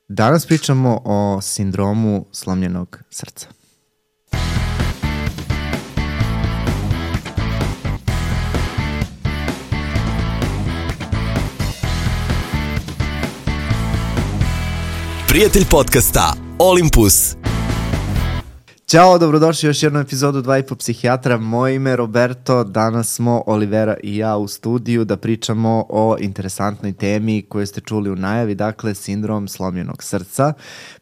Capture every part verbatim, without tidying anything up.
Danas pričamo o sindromu slomljenog srca. Prijatelj podcasta Olympus. Ćao, dobrodošli u još jednu epizodu Dva i po psihijatra. Moje ime je Roberto, danas smo Olivera i ja u studiju da pričamo o interesantnoj temi koju ste čuli u najavi, dakle sindrom slomljenog srca.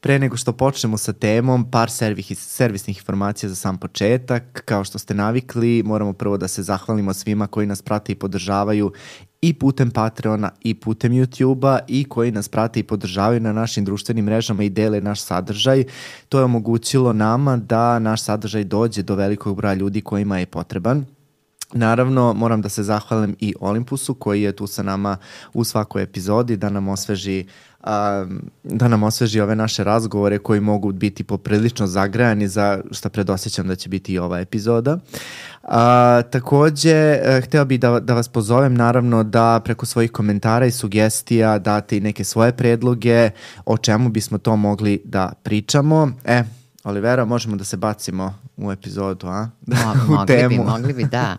Pre nego što počnemo sa temom, par servih, servisnih informacija za sam početak. Kao što ste navikli, moramo prvo da se zahvalimo svima koji nas prate i podržavaju i putem Patreona i putem YouTube-a i koji nas prate i podržavaju na našim društvenim mrežama i dele naš sadržaj. To je omogućilo nama da naš sadržaj dođe do velikog broja ljudi kojima je potreban. Naravno, moram da se zahvalim i Olympusu koji je tu sa nama u svakoj epizodi da nam osveži Um, da nam osveži ove naše razgovore koji mogu biti poprilično zagrejani, za što predosjećam da će biti i ova epizoda. Uh, takođe, uh, hteo bih da, da vas pozovem naravno da preko svojih komentara i sugestija date i neke svoje predloge o čemu bismo to mogli da pričamo. E, Olivera, možemo da se bacimo u epizodu, a? Mo, u mogli temu. bi, mogli bi, da.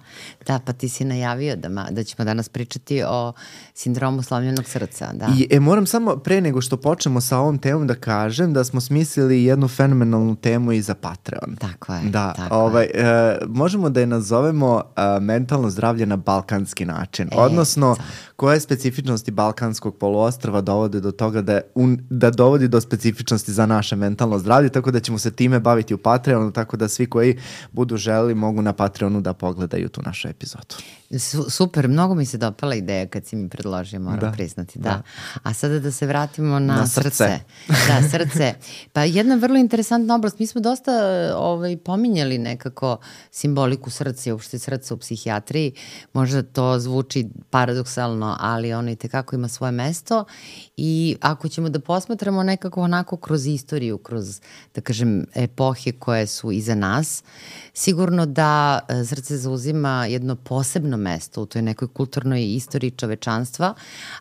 Da, pa ti si najavio da, ma, da ćemo danas pričati o sindromu slomljenog srca, da. I, e, moram samo pre nego što počnemo sa ovom temom da kažem da smo smislili jednu fenomenalnu temu i za Patreon. Tako je, da, tako ovaj, je. e, možemo da je nazovemo a, mentalno zdravlje na balkanski način. E, Odnosno, da. koje specifičnosti balkanskog poluostrva dovode do toga da, un, da dovodi do specifičnosti za naše mentalno zdravlje, tako da ćemo se time baviti u Patreonu, tako da svi koji budu želeli mogu na Patreonu da pogledaju tu našu epizodu. Su, super, mnogo mi se dopala ideja kad si mi predložio, moram da, priznati, da. da. A sada da se vratimo na, na srce. srce. Da, srce. Pa jedna vrlo interesantna oblast, mi smo dosta ovaj, pominjali nekako simboliku srca i uopšte srca u psihijatriji, možda to zvuči paradoksalno, ali ono i tekako ima svoje mesto i ako ćemo da posmatramo nekako onako kroz istoriju, kroz, da kažem, epohe koje su iza nas, sigurno da srce zauzima jedno posebno mesto u toj nekoj kulturnoj istoriji čovečanstva,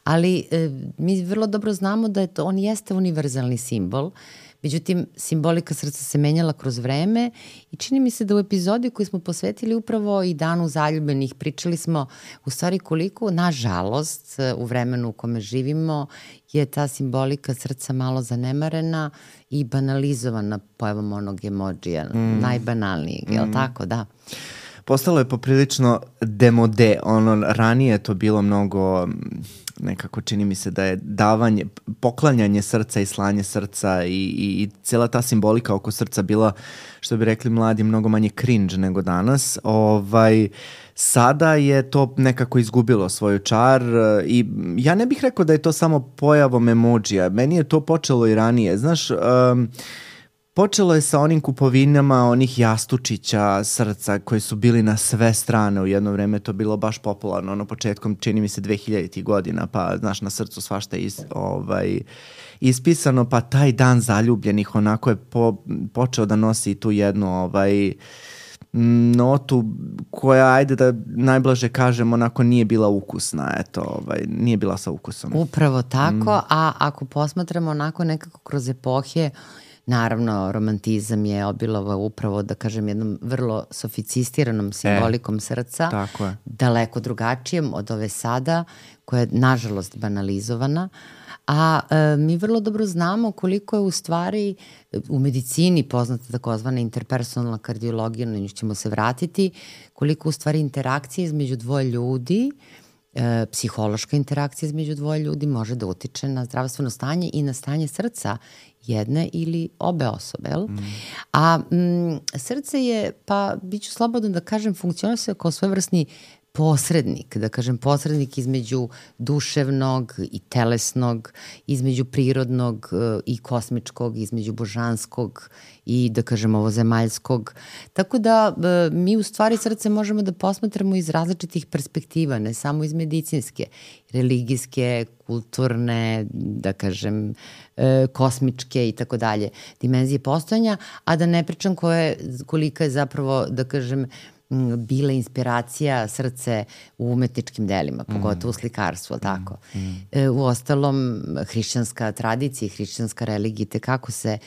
ali e, mi vrlo dobro znamo da je to, on jeste univerzalni simbol. Međutim, simbolika srca se menjala kroz vreme i čini mi se da u epizodi koju smo posvetili upravo i Danu zaljubljenih pričali smo u stvari koliko, nažalost, u vremenu u kome živimo je ta simbolika srca malo zanemarena i banalizovana pojavom onog emodžija, mm. najbanalnijeg, mm. je li tako? Da. Postalo je poprilično demode, ono, ranije je to bilo mnogo, nekako čini mi se da je davanje, poklanjanje srca i slanje srca i, i, i cijela ta simbolika oko srca bila, što bi rekli mladi, mnogo manje cringe nego danas. Ovaj, sada je to nekako izgubilo svoju čar i ja ne bih rekao da je to samo pojavom emodžija, meni je to počelo i ranije, znaš, um, počelo je sa onim kupovinama onih jastučića srca koji su bili na sve strane u jedno vreme, to bilo baš popularno, ono početkom čini mi se dve hiljaditih godina, pa znaš na srcu svašta is, ovaj, ispisano, pa taj dan zaljubljenih onako je po, počeo da nosi tu jednu ovaj, notu koja, ajde da najblaže kažem, onako nije bila ukusna, eto, ovaj, nije bila sa ukusom. Upravo tako, mm. a ako posmatramo onako nekako kroz epohe, naravno, romantizam je obilovao upravo, da kažem, jednom vrlo sofisticiranom simbolikom e, srca, tako je. Daleko drugačijem od ove sada, koja je, nažalost, banalizovana. A e, mi vrlo dobro znamo koliko je u stvari u medicini poznata takozvana interpersonalna kardiologija, na nju ćemo se vratiti, koliko u stvari interakcije između dvoje ljudi, e, psihološka interakcija između dvoje ljudi može da utiče na zdravstveno stanje i na stanje srca jedne ili obe osobe. Mm. A m, srce je, pa bit ću slobodno da kažem, funkcionuje kao svojevrsni posrednik, da kažem posrednik između duševnog i telesnog, između prirodnog i kosmičkog, između božanskog i da kažem ovozemaljskog. Tako da mi u stvari srce možemo da posmatramo iz različitih perspektiva, ne samo iz medicinske, religijske, kulturne, da kažem kosmičke i tako dalje, dimenzije postojanja, a da ne pričam koje, kolika je zapravo, da kažem, bila inspiracija srce u umetničkim delima, pogotovo u slikarstvu, mm. tako. Mm. E, u ostalom, hrišćanska tradicija i hrišćanska religija tekako se,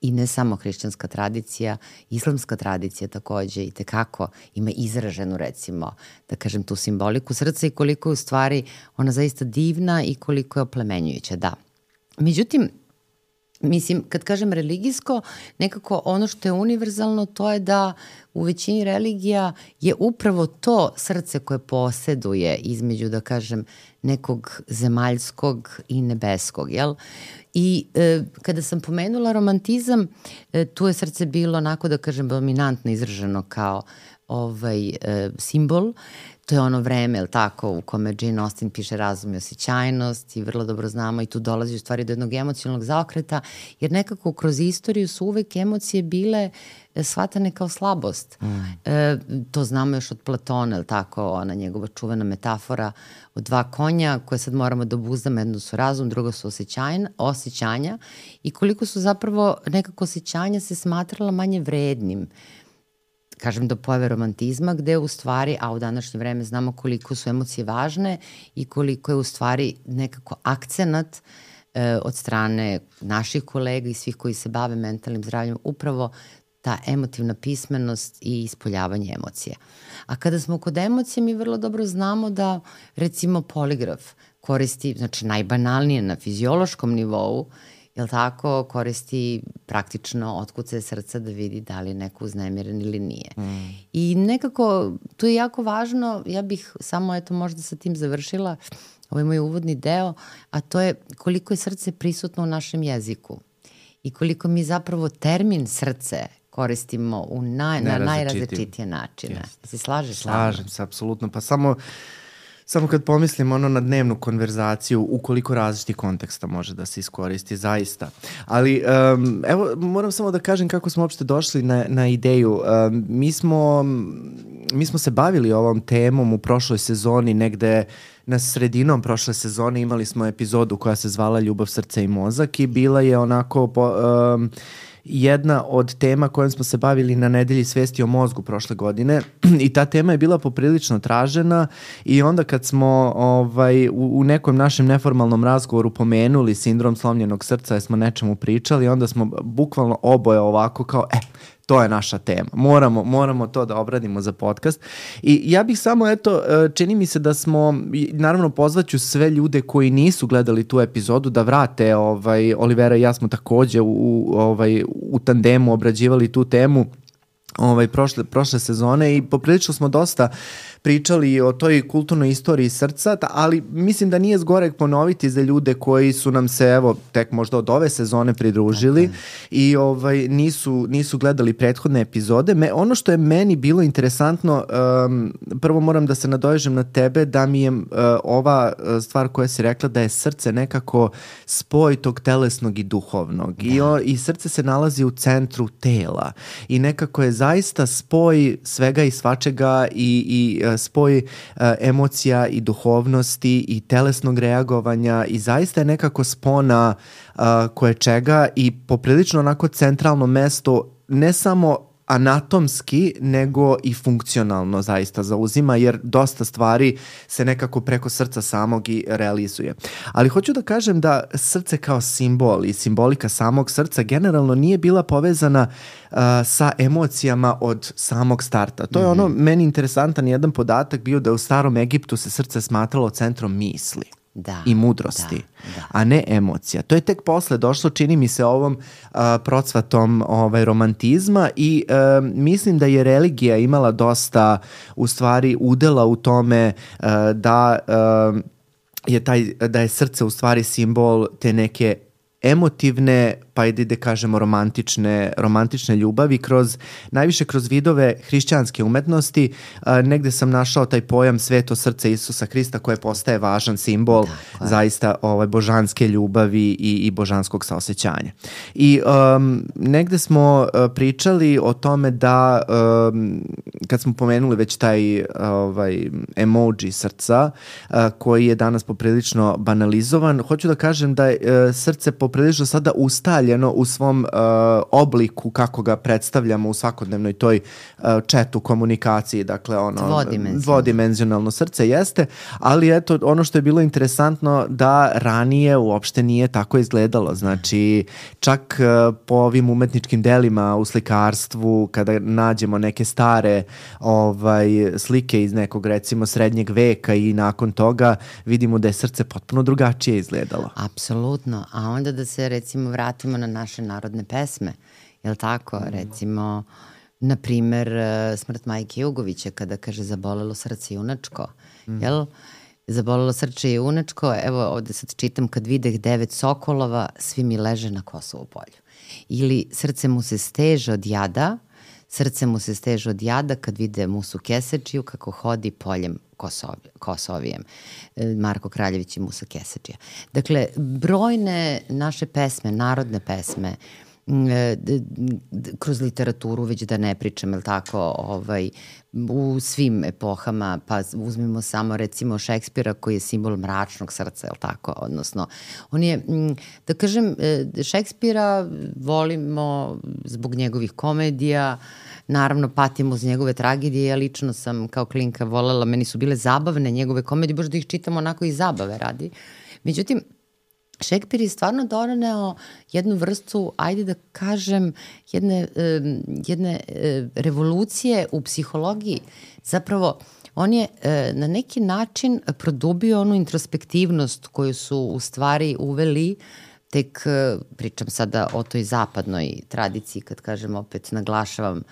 i ne samo hrišćanska tradicija, islamska tradicija takođe i tekako ima izraženu, recimo, da kažem, tu simboliku srca i koliko je u stvari ona zaista divna i koliko je oplemenjujuća, da. Međutim, mislim, kad kažem religijsko, nekako ono što je univerzalno to je da u većini religija je upravo to srce koje poseduje između, da kažem, nekog zemaljskog i nebeskog, jel? I e, kada sam pomenula romantizam, e, tu je srce bilo onako, da kažem, dominantno izraženo kao ovaj e, simbol. To je ono vreme, jel tako, u kome Jane Austen piše Razum i osjećajnost i vrlo dobro znamo i tu dolazi u stvari do jednog emocionalnog zaokreta, jer nekako kroz istoriju su uvek emocije bile shvatane kao slabost. Mm. E, to znamo još od Platona, jel tako, ona njegova čuvena metafora od dva konja koje sad moramo da obuzdamo, jedno su razum, drugo su osjećanja, osjećanja i koliko su zapravo nekako osjećanja se smatrala manje vrednim, kažem, do pojave romantizma, gde u stvari, a u današnje vreme znamo koliko su emocije važne i koliko je u stvari nekako akcenat e, od strane naših kolega i svih koji se bave mentalnim zdravljem, upravo ta emotivna pismenost i ispoljavanje emocija. A kada smo kod emocije, mi vrlo dobro znamo da, recimo, poligraf koristi, znači najbanalnije na fiziološkom nivou, jel tako, koristi praktično otkucaje srca da vidi da li je neko uznemiren ili nije. Mm. I nekako, tu je jako važno, ja bih samo eto možda sa tim završila ovaj moj uvodni deo, a to je koliko je srce prisutno u našem jeziku i koliko mi zapravo termin srce koristimo u naj, na najrazličitije načine. Yes. Se slažeš? Slažem se, apsolutno. Pa samo... Samo kad pomislim ono na dnevnu konverzaciju, u koliko različitih konteksta može da se iskoristi, zaista. Ali um, evo, moram samo da kažem kako smo uopšte došli na, na ideju. Um, mi, smo, mi smo se bavili ovom temom u prošloj sezoni, negde na sredinom prošle sezone imali smo epizodu koja se zvala Ljubav, srce i mozak i bila je onako... Po, um, jedna od tema kojom smo se bavili na nedelji svesti o mozgu prošle godine i ta tema je bila poprilično tražena i onda kad smo ovaj, u, u nekom našem neformalnom razgovoru pomenuli sindrom slomljenog srca jer smo nečemu pričali, onda smo bukvalno oboje ovako kao, e, to je naša tema. Moramo, moramo to da obradimo za podcast. I ja bih samo, eto, čini mi se da smo, naravno pozvaću sve ljude koji nisu gledali tu epizodu da vrate, ovaj, Olivera i ja smo takođe u, ovaj, u tandemu obrađivali tu temu ovaj, prošle, prošle sezone i poprilično smo dosta pričali o toj kulturnoj istoriji srca, ali mislim da nije zgoreg ponoviti za ljude koji su nam se, evo, tek možda od ove sezone pridružili okay. i ovaj, nisu, nisu gledali prethodne epizode. Me, ono što je meni bilo interesantno, um, prvo moram da se nadovežem na tebe, da mi je uh, ova stvar koja si rekla da je srce nekako spoj tog telesnog i duhovnog. Da. I, o, I srce se nalazi u centru tela i nekako je zaista spoj svega i svačega i, i spoj uh, emocija i duhovnosti i telesnog reagovanja i zaista je nekako spona uh, koje čega i poprilično onako centralno mesto ne samo anatomski, nego i funkcionalno zaista zauzima, jer dosta stvari se nekako preko srca samog i realizuje. Ali hoću da kažem da srce kao simbol i simbolika samog srca generalno nije bila povezana uh, sa emocijama od samog starta. To je ono, mm-hmm. meni interesantan jedan podatak bio da u starom Egiptu se srce smatralo centrom misli. Da, i mudrosti, da, da. A ne emocija. To je tek posle došlo, čini mi se, ovom uh, procvatom ovaj, romantizma i uh, mislim da je religija imala dosta, u stvari, udela u tome uh, da, uh, je taj, da je srce u stvari simbol te neke emotivne, pa i da kažemo romantične, romantične ljubavi, kroz, najviše kroz vidove hrišćanske umetnosti. A, negde sam našao taj pojam sveto srce Isusa Hrista koje postaje važan simbol Tako. zaista ovaj, božanske ljubavi i, i božanskog saosećanja. I um, negde smo uh, pričali o tome da um, kad smo pomenuli već taj ovaj, emoji srca uh, koji je danas poprilično banalizovan, hoću da kažem da je uh, srce poprilično sada ustaljeno ustaljeno u svom uh, obliku kako ga predstavljamo u svakodnevnoj toj uh, chatu komunikaciji, dakle ono dvodimenzionalno. dvodimenzionalno srce jeste, ali eto ono što je bilo interesantno da ranije uopšte nije tako izgledalo, znači čak uh, po ovim umetničkim delima u slikarstvu kada nađemo neke stare ovaj, slike iz nekog recimo srednjeg veka i nakon toga vidimo da je srce potpuno drugačije izgledalo. Apsolutno, a onda da se recimo vratimo na naše narodne pesme, je li tako? Mm. Recimo, na primer, Smrt Majke Jugovića kada kaže zabolelo srce junačko, mm. jel? Zabolelo srce junačko, evo ovde sad čitam kad videh devet sokolova, svi mi leže na Kosovu polju. Ili srce mu se steže od jada, srce mu se steže od jada kad vide Musu Kesečiju kako hodi poljem Kosovi, Kosovijem. Marko Kraljević i Musa Kesečija. Dakle, brojne naše pesme, narodne pesme, kroz literaturu, već da ne pričam, je li tako, ovaj, u svim epohama, pa uzmimo samo recimo Šekspira koji je simbol mračnog srca, je li tako, odnosno, on je, da kažem, Šekspira volimo zbog njegovih komedija, naravno patimo uz njegove tragedije, ja lično sam kao klinka volela, meni su bile zabavne njegove komedije, baš da ih čitam onako i zabave radi. Međutim, Šekspir je stvarno doneo jednu vrstu, ajde da kažem, jedne, jedne revolucije u psihologiji. Zapravo, on je na neki način produbio onu introspektivnost koju su u stvari uveli tek, pričam sada o toj zapadnoj tradiciji, kad kažem opet naglašavam,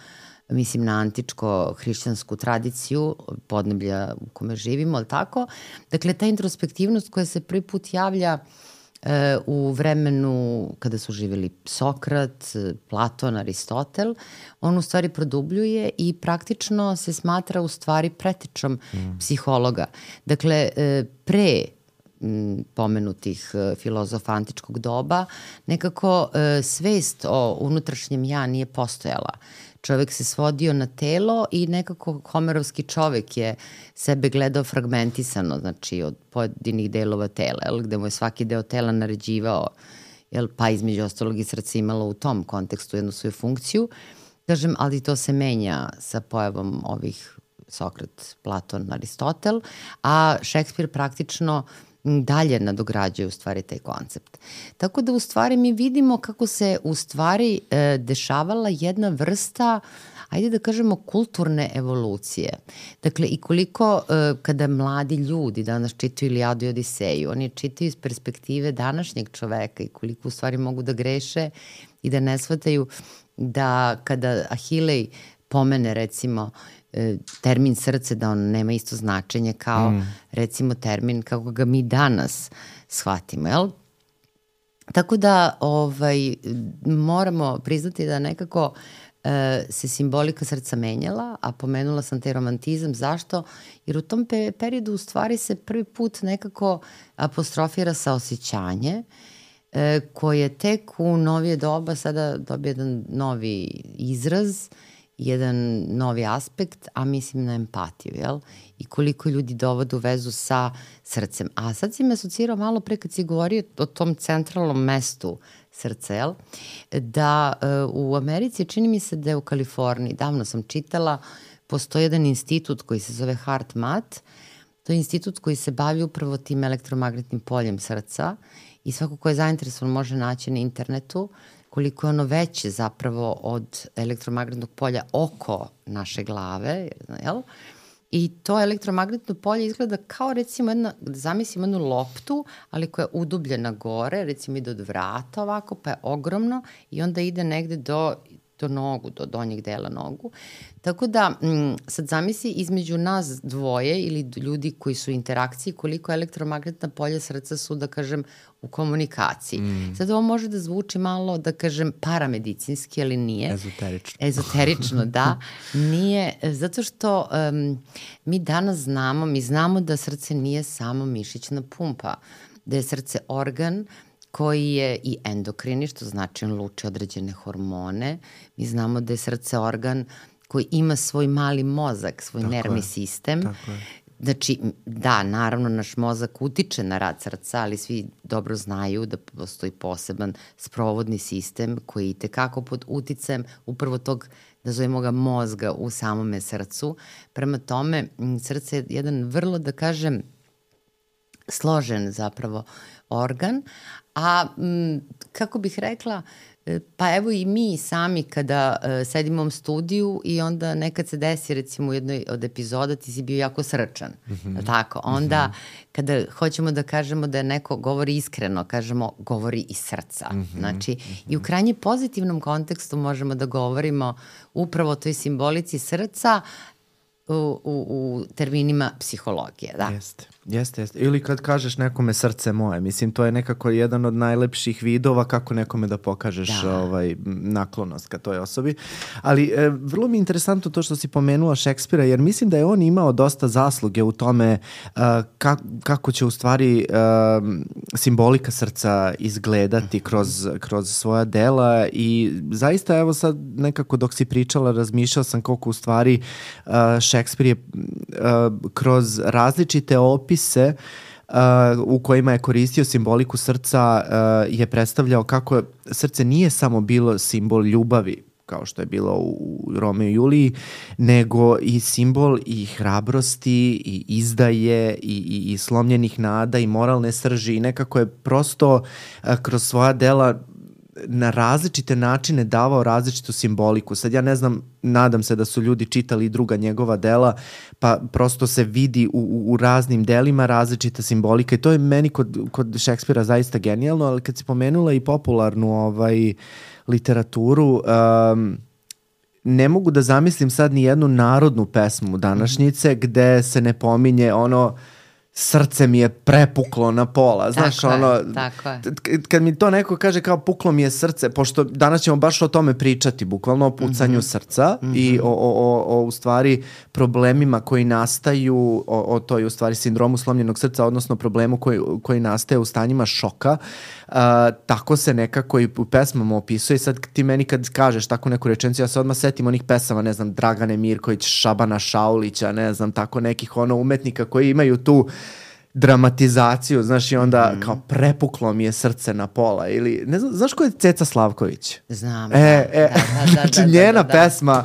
mislim na antičko-hrišćansku tradiciju podneblja u kome živimo, ali tako? Dakle, ta introspektivnost koja se prvi put javlja u vremenu kada su živjeli Sokrat, Platon, Aristotel, on u stvari produbljuje i praktično se smatra u stvari pretečom mm. psihologa. Dakle, pre pomenutih filozofa antičkog doba, nekako svest o unutrašnjem ja nije postojala. Čovek se svodio na telo i nekako homerovski čovek je sebe gledao fragmentisano, znači od pojedinih delova tela, jel, gde mu je svaki deo tela naređivao, jel, pa između ostalog i srce imalo u tom kontekstu jednu svoju funkciju. Kažem, ali to se menja sa pojavom ovih Sokrat, Platon, Aristotel, a Šekspir praktično dalje nadograđuje u stvari taj koncept. Tako da u stvari mi vidimo kako se u stvari e, dešavala jedna vrsta, ajde da kažemo, kulturne evolucije. Dakle, i koliko e, kada mladi ljudi danas čitaju Ilijadu i Odiseju, oni čitaju iz perspektive današnjeg čoveka i koliko u stvari mogu da greše i da ne shvataju da kada Ahilej pomene recimo termin srce, da on nema isto značenje kao mm. recimo termin kako ga mi danas shvatimo, jel? Tako da ovaj, moramo priznati da nekako e, se simbolika srca menjala, a pomenula sam taj romantizam. Zašto? Jer u tom pe periodu u stvari se prvi put nekako apostrofira saosećanje e, koje tek u novije doba sada dobije jedan novi izraz, jedan novi aspekt, a mislim na empatiju, jel? I koliko ljudi dovode u vezu sa srcem. A sad si me asocirao malo pre kad si govorio o tom centralnom mestu srca, jel? Da uh, u Americi, čini mi se da je u Kaliforniji, davno sam čitala, postoji jedan institut koji se zove HeartMath. To je institut koji se bavi upravo tim elektromagnetnim poljem srca i svako ko je zainteresovan može naći na internetu koliko je ono veće zapravo od elektromagnetnog polja oko naše glave, jel? I to elektromagnetno polje izgleda kao recimo jedna, zamislimo jednu loptu, ali koja je udubljena gore, recimo ide od vrata ovako, pa je ogromno i onda ide negde do, do nogu, do donjeg dela nogu. Tako da, m, sad zamisli između nas dvoje ili ljudi koji su u interakciji, koliko elektromagnetna polja srca su, da kažem, u komunikaciji. Mm. Sad ovo može da zvuči malo, da kažem, paramedicinski, ali nije. Ezoterično. Ezoterično, da. Nije, zato što um, mi danas znamo, mi znamo da srce nije samo mišićna pumpa, da je srce organ koji je i endokrini, što znači on luči određene hormone. Mi znamo da je srce organ koji ima svoj mali mozak, svoj tako nervni je. sistem, znači, da, naravno naš mozak utiče na rad srca, ali svi dobro znaju da postoji poseban sprovodni sistem koji je tekako pod uticajem upravo tog, nazovimo ga, mozga u samome srcu. Prema tome, srce je jedan vrlo, da kažem, složen zapravo organ, a m, kako bih rekla, pa evo i mi sami kada uh, sedimo u studiju i onda nekad se desi recimo u jednoj od epizoda ti si bio jako srčan, mm-hmm. tako? Onda mm-hmm. kada hoćemo da kažemo da neko govori iskreno, kažemo govori iz srca. Mm-hmm. Znači mm-hmm. i u krajnje pozitivnom kontekstu možemo da govorimo upravo o toj simbolici srca u, u, u terminima psihologije. Da. Jeste. Jeste, jeste. Ili kad kažeš nekome srce moje, mislim, to je nekako jedan od najlepših vidova kako nekome da pokažeš da. ovaj, naklonost ka toj osobi. Ali e, vrlo mi je interesantno to što si pomenula Šekspira, jer mislim da je on imao dosta zasluge u tome e, ka, kako će u stvari e, simbolika srca izgledati kroz, kroz svoja dela i zaista evo sad nekako dok si pričala razmišljala sam koliko u stvari e, Šekspir je e, kroz različite opise se uh, u kojima je koristio simboliku srca uh, je predstavljao kako srce nije samo bilo simbol ljubavi kao što je bilo u Romeo i Juliji, nego i simbol i hrabrosti i izdaje i, i, i slomljenih nada i moralne srži i nekako je prosto uh, kroz svoja dela na različite načine davao različitu simboliku. Sad ja ne znam, nadam se da su ljudi čitali druga njegova dela, pa prosto se vidi u, u raznim delima različita simbolika i to je meni kod, kod Šekspira zaista genijalno, ali kad si pomenula i popularnu ovaj, literaturu, um, ne mogu da zamislim sad ni jednu narodnu pesmu današnjice mm-hmm. gde se ne pominje ono srce mi je prepuklo na pola, znaš, tako ono, je, tako je. Kad mi to neko kaže kao puklo mi je srce, pošto danas ćemo baš o tome pričati, bukvalno o pucanju mm-hmm. srca mm-hmm. i o, o, o, o u stvari problemima koji nastaju, o, o toj u stvari sindromu slomljenog srca, odnosno problemu koji, koji nastaje u stanjima šoka, uh, tako se nekako i u pesmama opisuje. Sad ti meni kad kažeš tako neku rečenicu, ja se odmah setim onih pesama, ne znam, Dragane Mirković, Šabana Šaulića, ne znam, tako nekih ono umetnika koji imaju tu dramatizaciju, znaš, i onda mm. kao prepuklo mi je srce na pola ili, ne znam, znaš ko je Ceca Slavković? Znam, e, da, e, da, da, znači da, da, njena da, da. pesma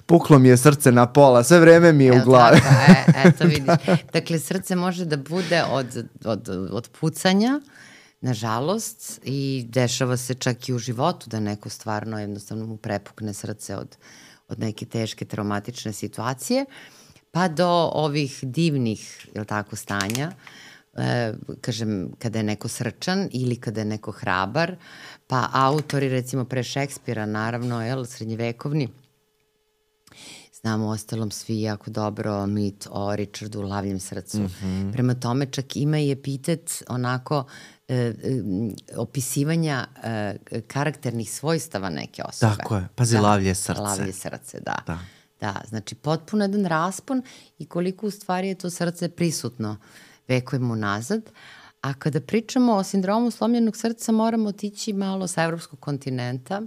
puklo mi je srce na pola, sve vreme mi je Evo u glavi. Tako, e, eto vidiš. Dakle, srce može da bude od, od, od pucanja, nažalost, i dešava se čak i u životu da neko stvarno jednostavno mu prepukne srce od, od neke teške traumatične situacije, pa do ovih divnih, jel tako, stanja, e, kažem, kada je neko srčan ili kada je neko hrabar, pa autori, recimo pre Šekspira, naravno, jel, srednjevekovni, znamo ostalom svi jako dobro mit o Richardu Lavljem srcu. Mm-hmm. Prema tome čak ima i epitet onako e, e, opisivanja e, karakternih svojstava neke osobe. Tako je, pazi, da, lavlje srce. Lavlje srce, da. Da. Da, znači potpuno jedan raspon i koliko u stvari je to srce prisutno vekovima unazad. A kada pričamo o sindromu slomljenog srca moramo otići malo sa evropskog kontinenta.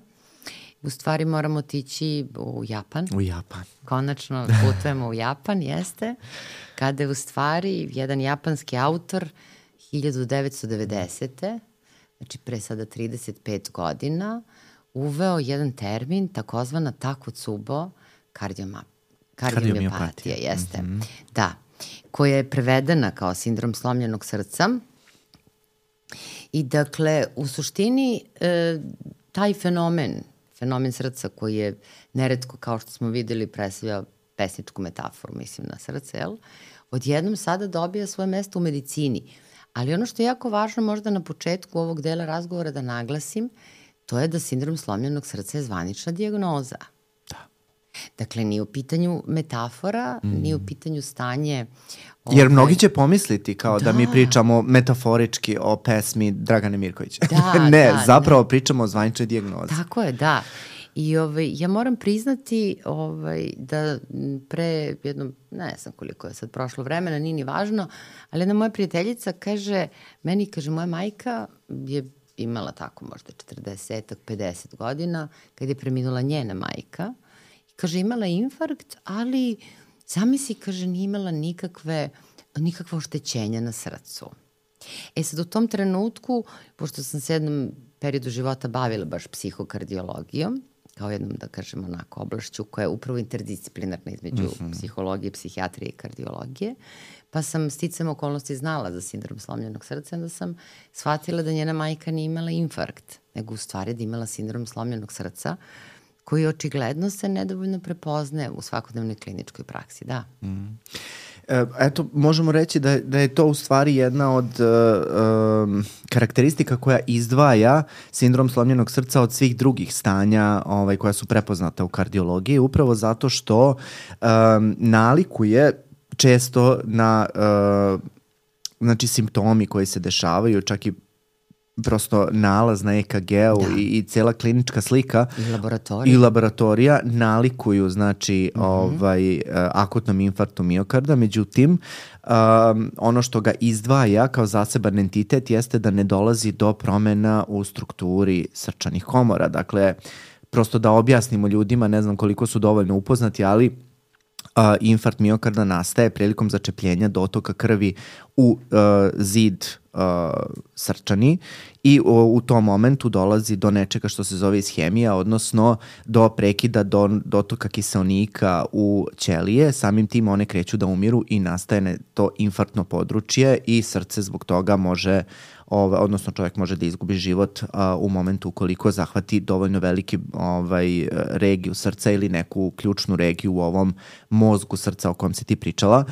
U stvari moramo otići u Japan. U Japan. Konačno putujemo u Japan, jeste. Kada je u stvari jedan japanski autor hiljadu devetsto devedesete. znači pre sada trideset pet godina, uveo jedan termin takozvana takotsubo kardioma, kardiomiopatija, jeste. Mm-hmm. Da, koja je prevedena kao sindrom slomljenog srca. I dakle, u suštini, e, taj fenomen, fenomen srca koji je neretko, kao što smo videli, predstavlja pesničku metaforu, mislim, na srce, jel? Odjednom sada dobija svoje mesto u medicini. Ali ono što je jako važno možda na početku ovog dela razgovora da naglasim, to je da sindrom slomljenog srca je zvanična dijagnoza. Da. Dakle, nije u pitanju metafora, mm. nije u pitanju stanje... Ove... Jer mnogi će pomisliti kao da, da mi pričamo metaforički o pesmi Dragane Mirković. Da, ne, da, zapravo ne. pričamo o zvaničnoj dijagnozi. Tako je, da. I ovaj, ja moram priznati ovaj, da pre jedno, ne znam koliko je sad prošlo vremena, nije ni važno, ali jedna moja prijateljica kaže, meni kaže, moja majka je imala tako možda četrdeset pedeset godina, kad je preminula njena majka. I kaže, imala je infarkt, ali zamisli, kaže, nije imala nikakve nikakva oštećenja na srcu. E sad u tom trenutku, pošto sam se jednom periodu života bavila baš psihokardiologijom, kao jednom, da kažem, onako oblašću koja je upravo interdisciplinarna između mm-hmm. psihologije, psihijatrije i kardiologije, pa sam sticam okolnosti znala za sindrom slomljenog srca, onda sam shvatila da njena majka nije imala infarkt, nego u stvari da imala sindrom slomljenog srca, koji očigledno se nedovoljno prepoznaje u svakodnevnoj kliničkoj praksi, da. Mm. Eto, možemo reći da, da je to u stvari jedna od uh, um, karakteristika koja izdvaja sindrom slomljenog srca od svih drugih stanja ovaj, koja su prepoznata u kardiologiji, upravo zato što um, nalikuje često na uh, znači simptomi koji se dešavaju, čak i prosto nalaz na E K G-u da. i, i cela klinička slika i laboratorija, i laboratorija nalikuju znači mm-hmm. ovaj, akutnom infarktu miokarda. Međutim, um, ono što ga izdvaja kao zaseban entitet jeste da ne dolazi do promena u strukturi srčanih komora. Dakle, prosto da objasnimo ljudima, ne znam koliko su dovoljno upoznati, ali Uh, infarkt miokarda nastaje prilikom začepljenja dotoka krvi u uh, zid uh, srčani i u, u tom momentu dolazi do nečega što se zove ishemija, odnosno do prekida do, dotoka kiseonika u ćelije, samim tim one kreću da umiru i nastaje to infarktno područje i srce zbog toga može Ove, odnosno čovjek može da izgubi život a, u momentu ukoliko zahvati dovoljno veliki ovaj, regiju srca ili neku ključnu regiju u ovom mozgu srca o kojem si ti pričala.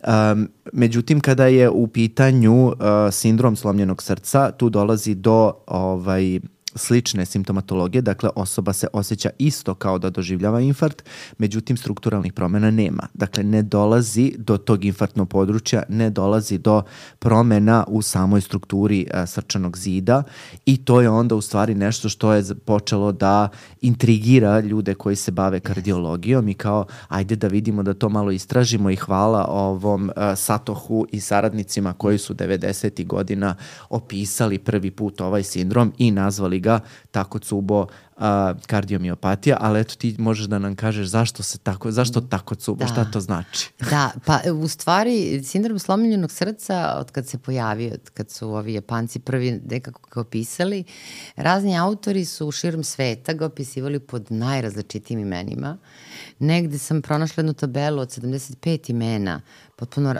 Um, međutim, kada je u pitanju uh, sindrom slomljenog srca, tu dolazi do ovaj, slične simptomatologije, dakle osoba se osjeća isto kao da doživljava infarkt, međutim strukturalnih promjena nema. Dakle, ne dolazi do tog infarktnog područja, ne dolazi do promjena u samoj strukturi a, srčanog zida i to je onda u stvari nešto što je počelo da intrigira ljude koji se bave kardiologijom i kao ajde da vidimo da to malo istražimo i hvala ovom a, Satohu i saradnicima koji su devedesetih godina opisali prvi put ovaj sindrom i nazvali ga Takotsubo uh, kardiomiopatija, ali eto ti možeš da nam kažeš zašto se tako, zašto Takotsubo, da. Šta to znači? Da, pa u stvari sindrom slomljenog srca od kad se pojavio, od kad su ovi Japanci prvi nekako ga opisali, razni autori su širom sveta ga opisivali pod najrazličitijim imenima. Negde sam pronašla jednu tabelu od sedamdeset pet imena, potpuno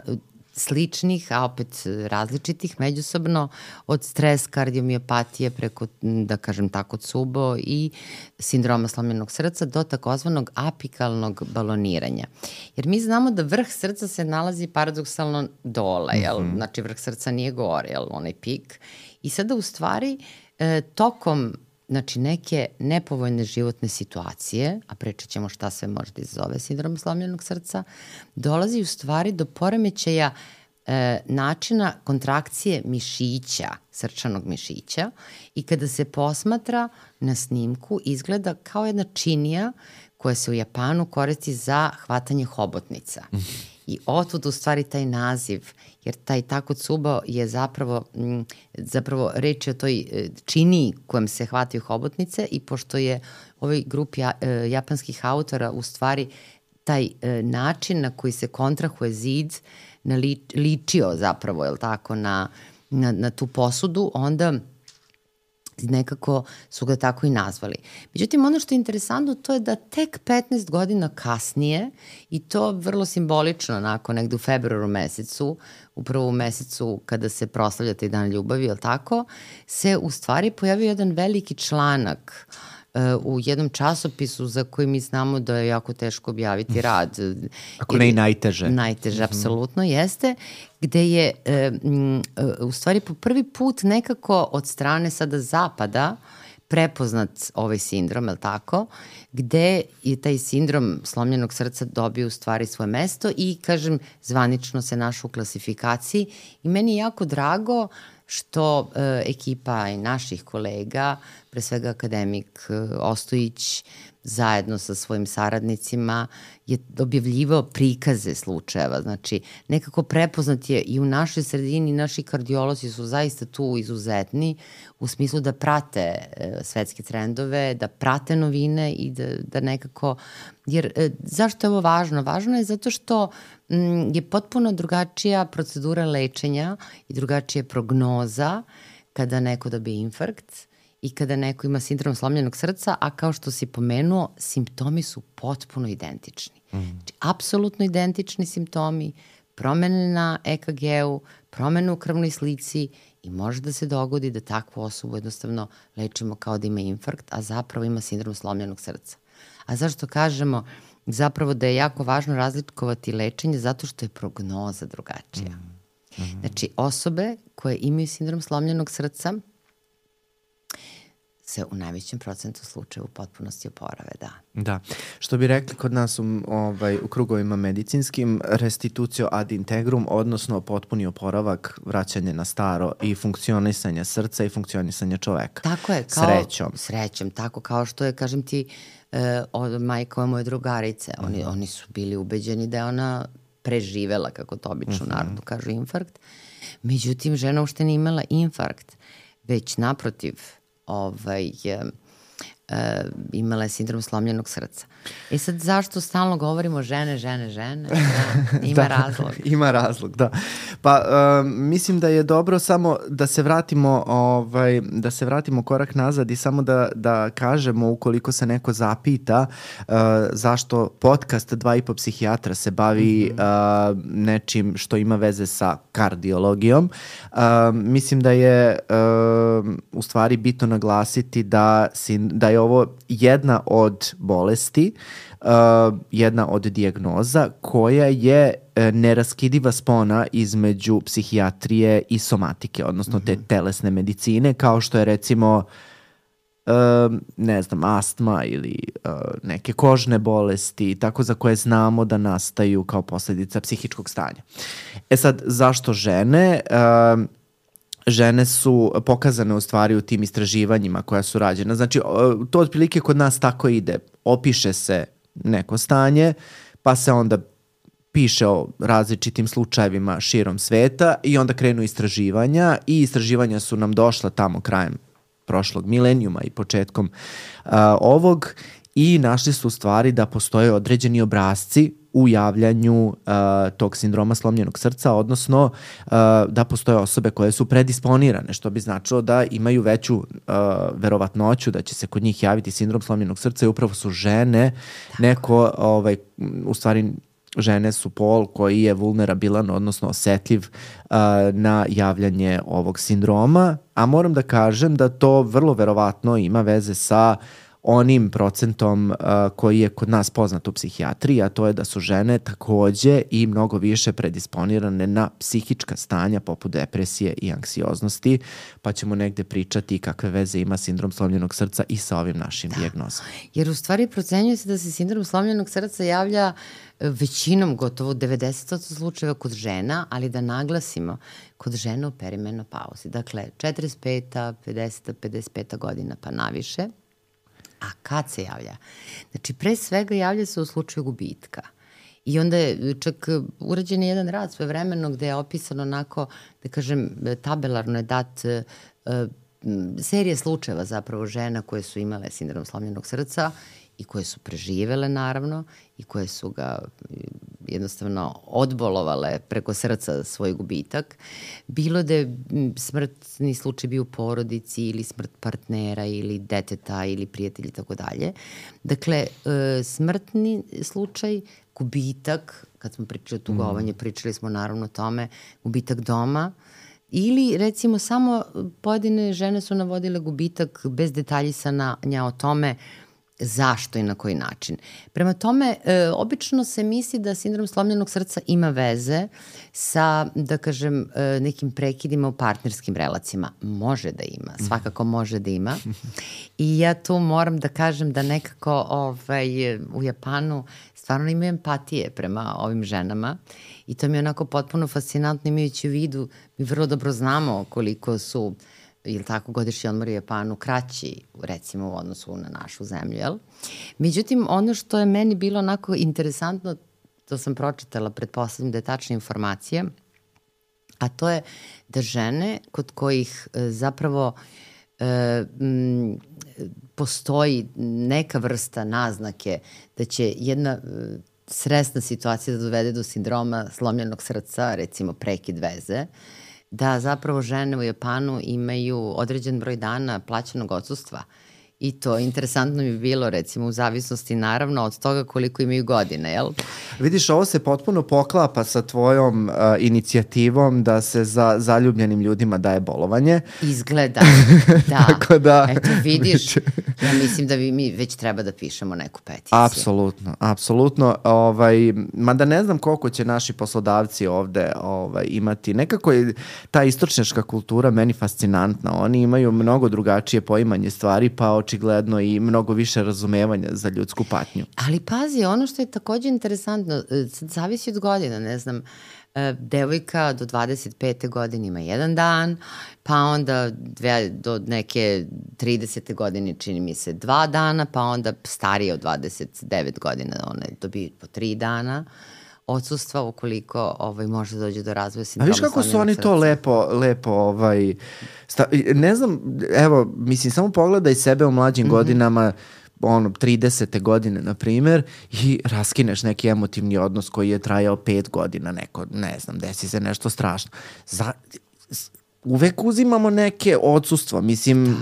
sličnih, a opet različitih međusobno, od stres kardiomiopatije preko, da kažem, Takotsubo i sindroma slomljenog srca do takozvanog apikalnog baloniranja. Jer mi znamo da vrh srca se nalazi paradoksalno dole, jel? Mm-hmm. Znači vrh srca nije gore, jel? Onaj pik. I sada u stvari e, tokom znači neke nepovoljne životne situacije, a pričat ćemo šta sve može da izazove sindrom slomljenog srca, dolazi u stvari do poremećaja e, načina kontrakcije mišića, srčanog mišića i kada se posmatra na snimku izgleda kao jedna činija koja se u Japanu koristi za hvatanje hobotnica. I otud u stvari taj naziv, jer taj Takotsubo je zapravo, m, zapravo reč je o toj činiji kojom se hvataju hobotnice i pošto je ovaj grup ja, e, japanskih autora u stvari taj e, način na koji se kontrahuje zid nali, ličio zapravo, je li tako, na, na, na tu posudu, onda nekako su ga tako i nazvali. Međutim, ono što je interesantno to je da tek petnaest godina kasnije, i to vrlo simbolično, onako, negde u februaru mesecu, upravo u mesecu kada se proslavlja taj dan ljubavi, je li tako, se u stvari pojavio jedan veliki članak uh, u jednom časopisu za koji mi znamo da je jako teško objaviti rad. Ako ne i najteže. Najteže, mm-hmm. apsolutno jeste, gde je e, m, u stvari po prvi put nekako od strane sada zapada prepoznat ovaj sindrom, je li tako, gde je taj sindrom slomljenog srca dobio u stvari svoje mesto i, kažem, zvanično se našao u klasifikaciji i meni je jako drago što e, ekipa i naših kolega, pre svega akademik Ostojić zajedno sa svojim saradnicima je objavljivao prikaze slučajeva. Znači, nekako prepoznat je i u našoj sredini, naši kardiolozi su zaista tu izuzetni u smislu da prate e, svetske trendove, da prate novine i da, da nekako... Jer e, zašto je ovo važno? Važno je zato što m, je potpuno drugačija procedura lečenja i drugačija prognoza kada neko dobije infarkt i kada neko ima sindrom slomljenog srca, a kao što si pomenuo, simptomi su potpuno identični. Mm. Znači, apsolutno identični simptomi, promene na E K G-u, promene u krvnoj slici i može da se dogodi da takvu osobu jednostavno lečimo kao da ima infarkt, a zapravo ima sindrom slomljenog srca. A zašto kažemo zapravo da je jako važno razlikovati lečenje? Zato što je prognoza drugačija. Mm. Mm. Znači, osobe koje imaju sindrom slomljenog srca se u najvećem procentu slučaja u potpunosti oporave, da. Da. Što bi rekli kod nas u, ovaj, u krugovima medicinskim, restitucio ad integrum, odnosno potpuni oporavak, vraćanje na staro i funkcionisanje srca i funkcionisanje čoveka. Tako je. Kao, srećom. Srećom, tako kao što je, kažem ti, eh, od majka moje drugarice. Oni, mm. oni su bili ubeđeni da je ona preživela, kako to obično mm-hmm. narodu kažu, infarkt. Međutim, žena uopšte nije imala infarkt, već naprotiv, ovaj, e, e, imala je sindrom slomljenog srca. E sad, zašto stalno govorimo žene, žene, žene? Da, ima da, razlog. Ima razlog, da. Pa, uh, mislim da je dobro samo da se vratimo, ovaj, da se vratimo korak nazad i samo da, da kažemo, ukoliko se neko zapita uh, zašto podcast Dva i po psihijatra se bavi mm-hmm. uh, nečim što ima veze sa kardiologijom. Uh, mislim da je uh, u stvari bitno naglasiti da, si, da je ovo jedna od bolesti, Uh, jedna od dijagnoza koja je uh, neraskidiva spona između psihijatrije i somatike, odnosno mm-hmm. te telesne medicine, kao što je recimo uh, ne znam, astma ili uh, neke kožne bolesti, tako za koje znamo da nastaju kao posledica psihičkog stanja. E sad, zašto žene? Uh, Žene su pokazane u stvari u tim istraživanjima koja su rađena. Znači, to otprilike kod nas tako ide. Opiše se neko stanje, pa se onda piše o različitim slučajevima širom sveta i onda krenu istraživanja i istraživanja su nam došla tamo krajem prošlog milenijuma i početkom uh, ovog i našli su u stvari da postoje određeni obrasci u javljanju uh, tog sindroma slomljenog srca, odnosno uh, da postoje osobe koje su predisponirane, što bi značilo da imaju veću uh, verovatnoću da će se kod njih javiti sindrom slomljenog srca i upravo su žene, tako. neko, ovaj, u stvari žene su pol koji je vulnerabilan, odnosno osetljiv uh, na javljanje ovog sindroma, a moram da kažem da to vrlo verovatno ima veze sa onim procentom uh, koji je kod nas poznat u psihijatriji, a to je da su žene takođe i mnogo više predisponirane na psihička stanja poput depresije i anksioznosti, pa ćemo negde pričati kakve veze ima sindrom slomljenog srca i sa ovim našim da. dijagnozama. Jer u stvari procenjuje se da se sindrom slomljenog srca javlja većinom, gotovo devedeset posto slučajeva kod žena, ali da naglasimo, kod žena u perimenopauzi. Dakle, četrdeset peta, pedeseta, pedeset peta godina pa naviše. A kad se javlja? Znači, pre svega javlja se u slučaju gubitka. I onda je čak urađen je jedan rad svojevremeno gde je opisano onako, da kažem, tabelarno je dat uh, serija slučajeva zapravo žena koje su imale sindrom slomljenog srca i koje su preživele naravno i koje su ga jednostavno odbolovale preko srca svoj gubitak. Bilo da je smrtni slučaj bio u porodici ili smrt partnera ili deteta ili prijatelja i tako dalje. Dakle, smrtni slučaj, gubitak, kad smo pričali o tugovanju, mm. pričali smo naravno o tome, gubitak doma, ili recimo samo pojedine žene su navodile gubitak bez detaljisanja o tome zašto i na koji način. Prema tome, e, obično se misli da sindrom slomljenog srca ima veze sa, da kažem, e, nekim prekidima u partnerskim relacijama. Može da ima, svakako može da ima. I ja tu moram da kažem da nekako ovaj, u Japanu stvarno imaju empatije prema ovim ženama i to mi je onako potpuno fascinantno imajući u vidu, mi vrlo dobro znamo koliko su ili tako, godišnji odmor u Japanu kraći, recimo, u odnosu na našu zemlju, jel? Međutim, ono što je meni bilo onako interesantno, to sam pročitala, pretpostavljam da je tačna informacija, a to je da žene kod kojih e, zapravo e, m, postoji neka vrsta naznake da će jedna e, stresna situacija da dovede do sindroma slomljenog srca, recimo prekid veze, da zapravo žene u Japanu imaju određen broj dana plaćenog odsustva. I to interesantno mi je bilo, recimo, u zavisnosti naravno od toga koliko imaju godine, jel? Vidiš, ovo se potpuno poklapa sa tvojom uh, inicijativom da se za zaljubljenim ljudima daje bolovanje. Izgleda, da. Tako da... Eto, vidiš, ja mislim da vi, mi već treba da pišemo neku peticiju. Apsolutno, apsolutno. Ovaj, mada ne znam koliko će naši poslodavci ovde ovaj, imati. Nekako je ta istočnjačka kultura meni fascinantna. Oni imaju mnogo drugačije poimanje stvari, pa očigledno i mnogo više razumevanja za ljudsku patnju. Ali pazi, ono što je takođe interesantno, sad zavisi od godina, ne znam, devojka do dvadeset pete godine ima jedan dan, pa onda dve, do neke tridesete godine čini mi se dva dana, pa onda starije od dvadeset devet godina ona dobije po tri dana odsustva ukoliko ovaj, može da dođe do razvoja sindroma. A viš kako su oni to lepo, lepo ovaj, sta, ne znam, evo, mislim, samo pogledaj sebe u mlađim mm-hmm. godinama, ono, tridesete godine, na primer, i raskineš neki emotivni odnos koji je trajao pet godina, neko, ne znam, desi se nešto strašno. Za, uvek uzimamo neke odsustva, mislim,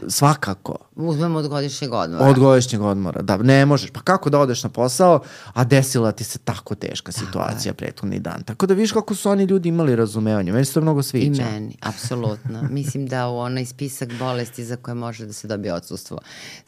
svakako. Uzmemo od godišnjeg odmora. Od godišnjeg odmora, da, ne možeš. Pa kako da odeš na posao, a desila ti se tako teška situacija tako prethodni dan. Tako da viš kako su oni ljudi imali razumevanje. Meni se to mnogo sviđa. I meni, apsolutno. Mislim da u onaj spisak bolesti za koje može da se dobije odsustvo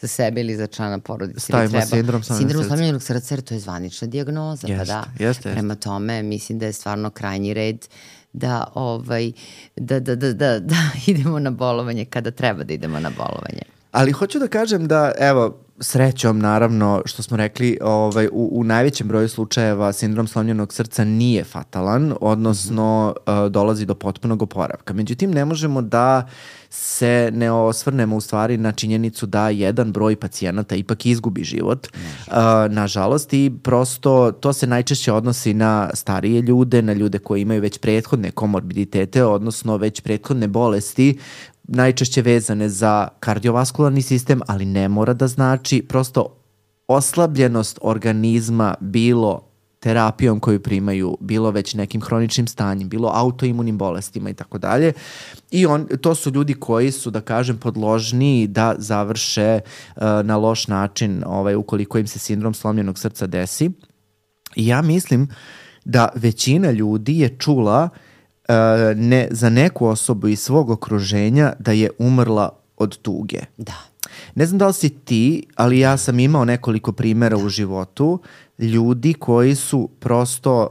za sebe ili za člana porodice. Stavimo treba, sindrom sindrom slomljenog srca, jer to je zvanična dijagnoza. Jeste, pa da. jeste, jeste. Prema tome, mislim da je stvarno krajnji red da, ovaj, da, da, da, da, da idemo na bolovanje kada treba da idemo na bolovanje. Ali hoću da kažem da, evo, srećom, naravno, što smo rekli, ovaj, u, u najvećem broju slučajeva sindrom slomljenog srca nije fatalan, odnosno mm-hmm. uh, dolazi do potpunog oporavka. Međutim, ne možemo da se ne osvrnemo u stvari na činjenicu da jedan broj pacijenata ipak izgubi život, uh, nažalost, i prosto to se najčešće odnosi na starije ljude, na ljude koji imaju već prethodne komorbiditete, odnosno već prethodne bolesti, najčešće vezane za kardiovaskularni sistem, ali ne mora da znači, prosto oslabljenost organizma, bilo terapijom koju primaju, bilo već nekim hroničnim stanjem, bilo autoimunim bolestima i tako dalje. I on, to su ljudi koji su, da kažem, podložniji da završe uh, na loš način ovaj, ukoliko im se sindrom slomljenog srca desi. I ja mislim da većina ljudi je čula Uh, ne, za neku osobu iz svog okruženja da je umrla od tuge. Da. Ne znam da li si ti, ali ja sam imao nekoliko primjera da. u životu ljudi koji su prosto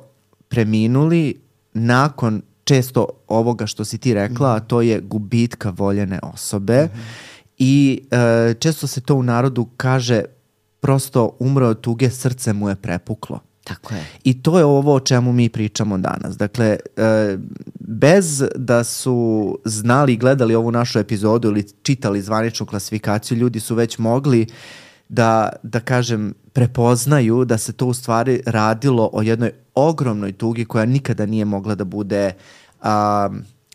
preminuli nakon često ovoga što si ti rekla, mm-hmm. a to je gubitka voljene osobe. Mm-hmm. I uh, često se to u narodu kaže prosto umro od tuge, srce mu je prepuklo. Tako je. I to je ovo o čemu mi pričamo danas. Dakle, e, bez da su znali i gledali ovu našu epizodu ili čitali zvaničnu klasifikaciju, ljudi su već mogli da, da kažem, prepoznaju da se to u stvari radilo o jednoj ogromnoj tugi koja nikada nije mogla da bude a,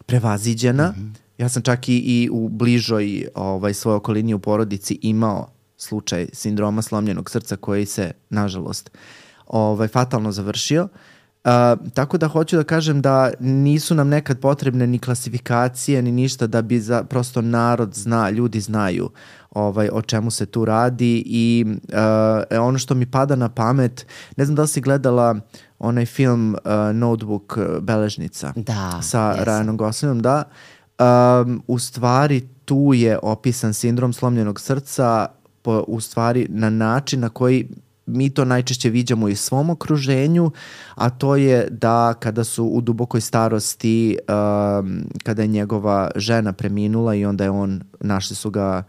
prevaziđena. Mm-hmm. Ja sam čak i, i u bližoj ovaj, svojoj okolini u porodici imao slučaj sindroma slomljenog srca koji se, nažalost, ovaj, fatalno završio. Uh, tako da hoću da kažem da nisu nam nekad potrebne ni klasifikacije ni ništa da bi za, prosto narod zna, ljudi znaju ovaj, o čemu se tu radi i uh, ono što mi pada na pamet, ne znam da li si gledala onaj film uh, Notebook, Beležnica da, sa jesam. Ryanom Goslingom, da. Um, u stvari tu je opisan sindrom slomljenog srca po, u stvari na način na koji mi to najčešće viđamo i u svom okruženju, a to je da kada su u dubokoj starosti, um, kada je njegova žena preminula i onda je on, našli su ga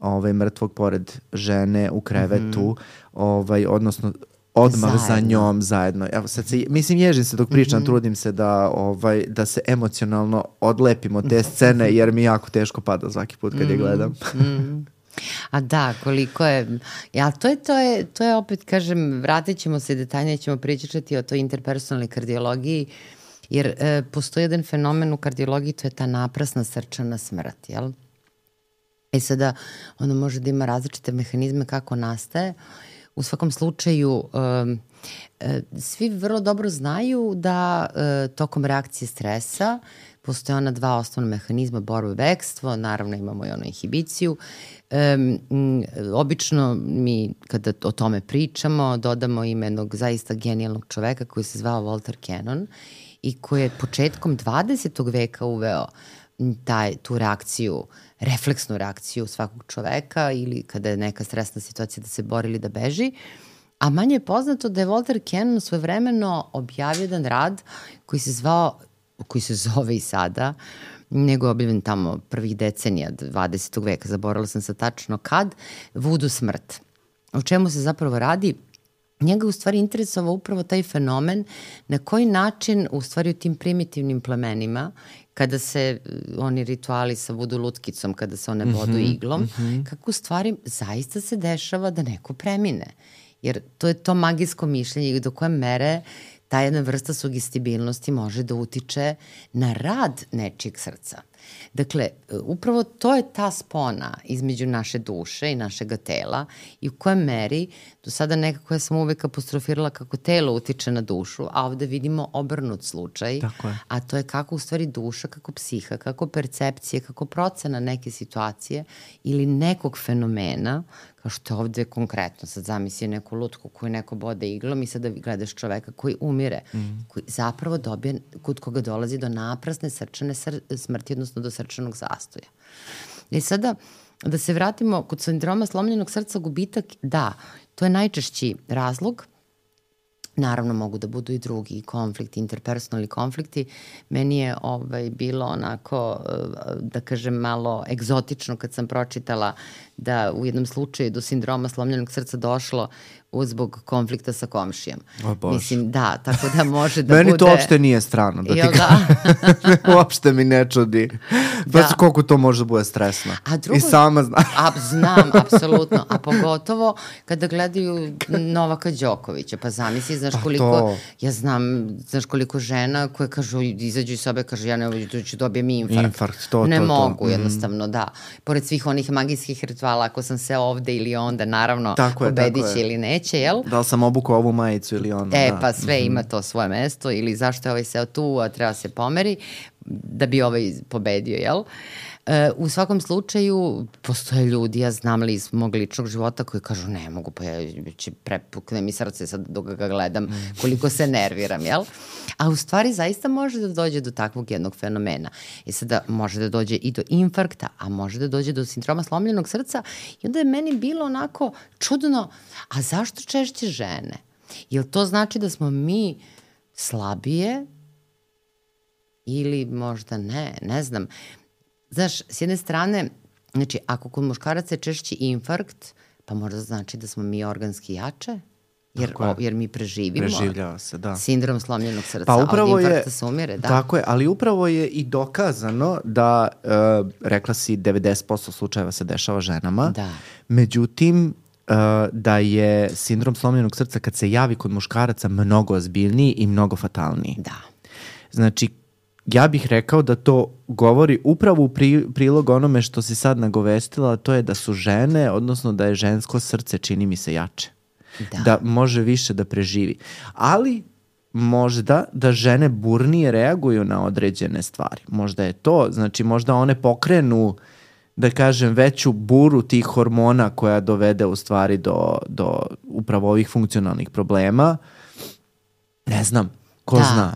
ovaj, mrtvog pored žene u krevetu, mm-hmm. ovaj, odnosno odmah zajedno. za njom zajedno. Evo, sad se, mislim, ježim se dok pričam, mm-hmm. trudim se da, ovaj, da se emocionalno odlepim od te scene, jer mi jako teško pada svaki put kad mm-hmm. je gledam. Mm-hmm. A da, koliko je, ja, to je, to je, to je opet, kažem, vratit ćemo se detaljnije, ćemo pričati o toj interpersonalnoj kardiologiji, jer e, postoji jedan fenomen u kardiologiji, to je ta naprasna srčana smrt, jel? E sada, ono može da ima različite mehanizme kako nastaje. U svakom slučaju, um, e, svi vrlo dobro znaju da e, tokom reakcije stresa postoje ona dva osnovna mehanizma, borba i bekstvo, naravno imamo i ono inhibiciju. E, m, obično mi kada o tome pričamo dodamo ime jednog zaista genijalnog čoveka koji se zvao Walter Cannon i koji je početkom dvadesetog veka uveo taj, tu reakciju, refleksnu reakciju svakog čoveka ili kada je neka stresna situacija da se bori ili da beži. A manje je poznato da je Walter Cannon svojevremeno objavio jedan rad koji se zvao, koji se zove i sada, nego je objavljen tamo prvih decenija dvadesetog veka, zaboravila sam se tačno kad, Vudu smrt. O čemu se zapravo radi? Njega u stvari interesovao upravo taj fenomen na koji način u stvari u tim primitivnim plemenima kada se oni rituali sa vudu lutkicom, kada se one bodu mm-hmm, iglom, mm-hmm. kako u stvari zaista se dešava da neko premine. Jer to je to magijsko mišljenje do koje mere ta jedna vrsta sugestibilnosti može da utiče na rad nečijeg srca. Dakle, upravo to je ta spona između naše duše i našeg tela i u kojoj meri, do sada nekako ja sam uvek apostrofirala kako telo utiče na dušu, a ovde vidimo obrnut slučaj, a to je kako u stvari duša, kako psiha, kako percepcije, kako procena neke situacije ili nekog fenomena, kao što je ovde konkretno, sad zamisli neku lutku koju neko bode iglom i sada gledaš čoveka koji umire, mm. koji zapravo dobije, kod koga dolazi do naprasne srčane sr- smrti, odnosno do srčanog zastoja. I sada, da se vratimo kod sindroma slomljenog srca, gubitak, da, to je najčešći razlog. Naravno, mogu da budu i drugi konflikti, interpersonalni konflikti. Meni je ovaj, bilo onako, da kažem, malo egzotično kad sam pročitala da u jednom slučaju do sindroma slomljenog srca došlo zbog konflikta sa komšijom. O Bože. Mislim, da, tako da može da Meni bude... Meni to uopšte nije strano, da ti da? uopšte mi ne čudi. Da. Pa koliko to može da bude stresno. A drugo, I sama znam. A, znam, apsolutno. A pogotovo kada gledaju Novaka Đokovića. Pa zamisli, znaš koliko... To... Ja znam, znaš koliko žena koje kažu, izađu iz sobe, kažu, ja ne ću dobijem infarkt. Infarkt, to, ne to, mogu, to. jednostavno, mm. da. Pored svih onih magijskih rituala, ako sam se ovde ili onda, naravno, tako je, pobedit će tako je. Ili neće, jel? Da li sam obukao ovu majicu ili ono. E, da. pa sve mm-hmm. ima to svoje mesto ili zašto je ovaj seo tu, a treba se pomeri da bi ovaj pobedio, jel? E, u svakom slučaju, postoje ljudi, ja znam li iz mog ličnog života koji kažu ne mogu, pa ja će prepukne mi srce sad dok ga gledam, koliko se nerviram, jel? A u stvari zaista može da dođe do takvog jednog fenomena. I sada može da dođe i do infarkta, a može da dođe do sindroma slomljenog srca i onda je meni bilo onako čudno, a zašto češće žene? Jel to znači da smo mi slabije ili možda ne, ne znam. Znaš, s jedne strane, znači, ako kod muškaraca je češći infarkt, pa možda znači da smo mi organski jače, jer, o, jer mi preživimo. Preživljava se, da. Sindrom slomljenog srca, pa upravo od infarkta je, se umire, da. Tako je, ali upravo je i dokazano da, uh, rekla si, devedeset posto slučajeva se dešava ženama. Da. Međutim, uh, da je sindrom slomljenog srca kad se javi kod muškaraca mnogo ozbiljniji i mnogo fatalniji. Da. Znači, ja bih rekao da to govori upravo u pri, prilog onome što si sad nagovestila, to je da su žene, odnosno da je žensko srce, čini mi se, jače. Da. Da može više da preživi. Ali možda da žene burnije reaguju na određene stvari. Možda je to, znači možda one pokrenu, da kažem, veću buru tih hormona koja dovede u stvari do, do upravo ovih funkcionalnih problema. Ne znam, ko da. zna.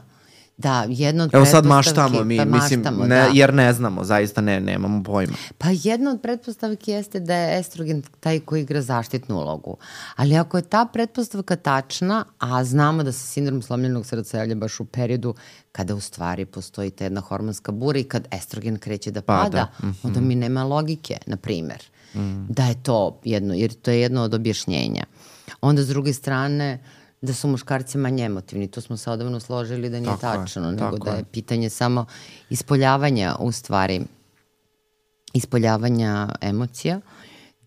Da, jedno od Evo pretpostavki... sad maštamo mi, pa mislim, maštamo, ne, da. jer ne znamo, zaista ne, nemamo pojma. Pa jedna od pretpostavki jeste da je estrogen taj koji igra zaštitnu ulogu. Ali ako je ta pretpostavka tačna, a znamo da se sindrom slomljenog srca javlja baš u periodu kada u stvari postoji ta jedna hormonska bura i kad estrogen kreće da pada, pada. Mm-hmm. onda mi nema logike, na primer, mm. da je to jedno, jer to je jedno od objašnjenja. Onda s druge strane, da su muškarci manje emotivni. To smo se odavno složili da nije tako tačno, je, nego tako da je je. pitanje samo ispoljavanja u stvari, ispoljavanja emocija.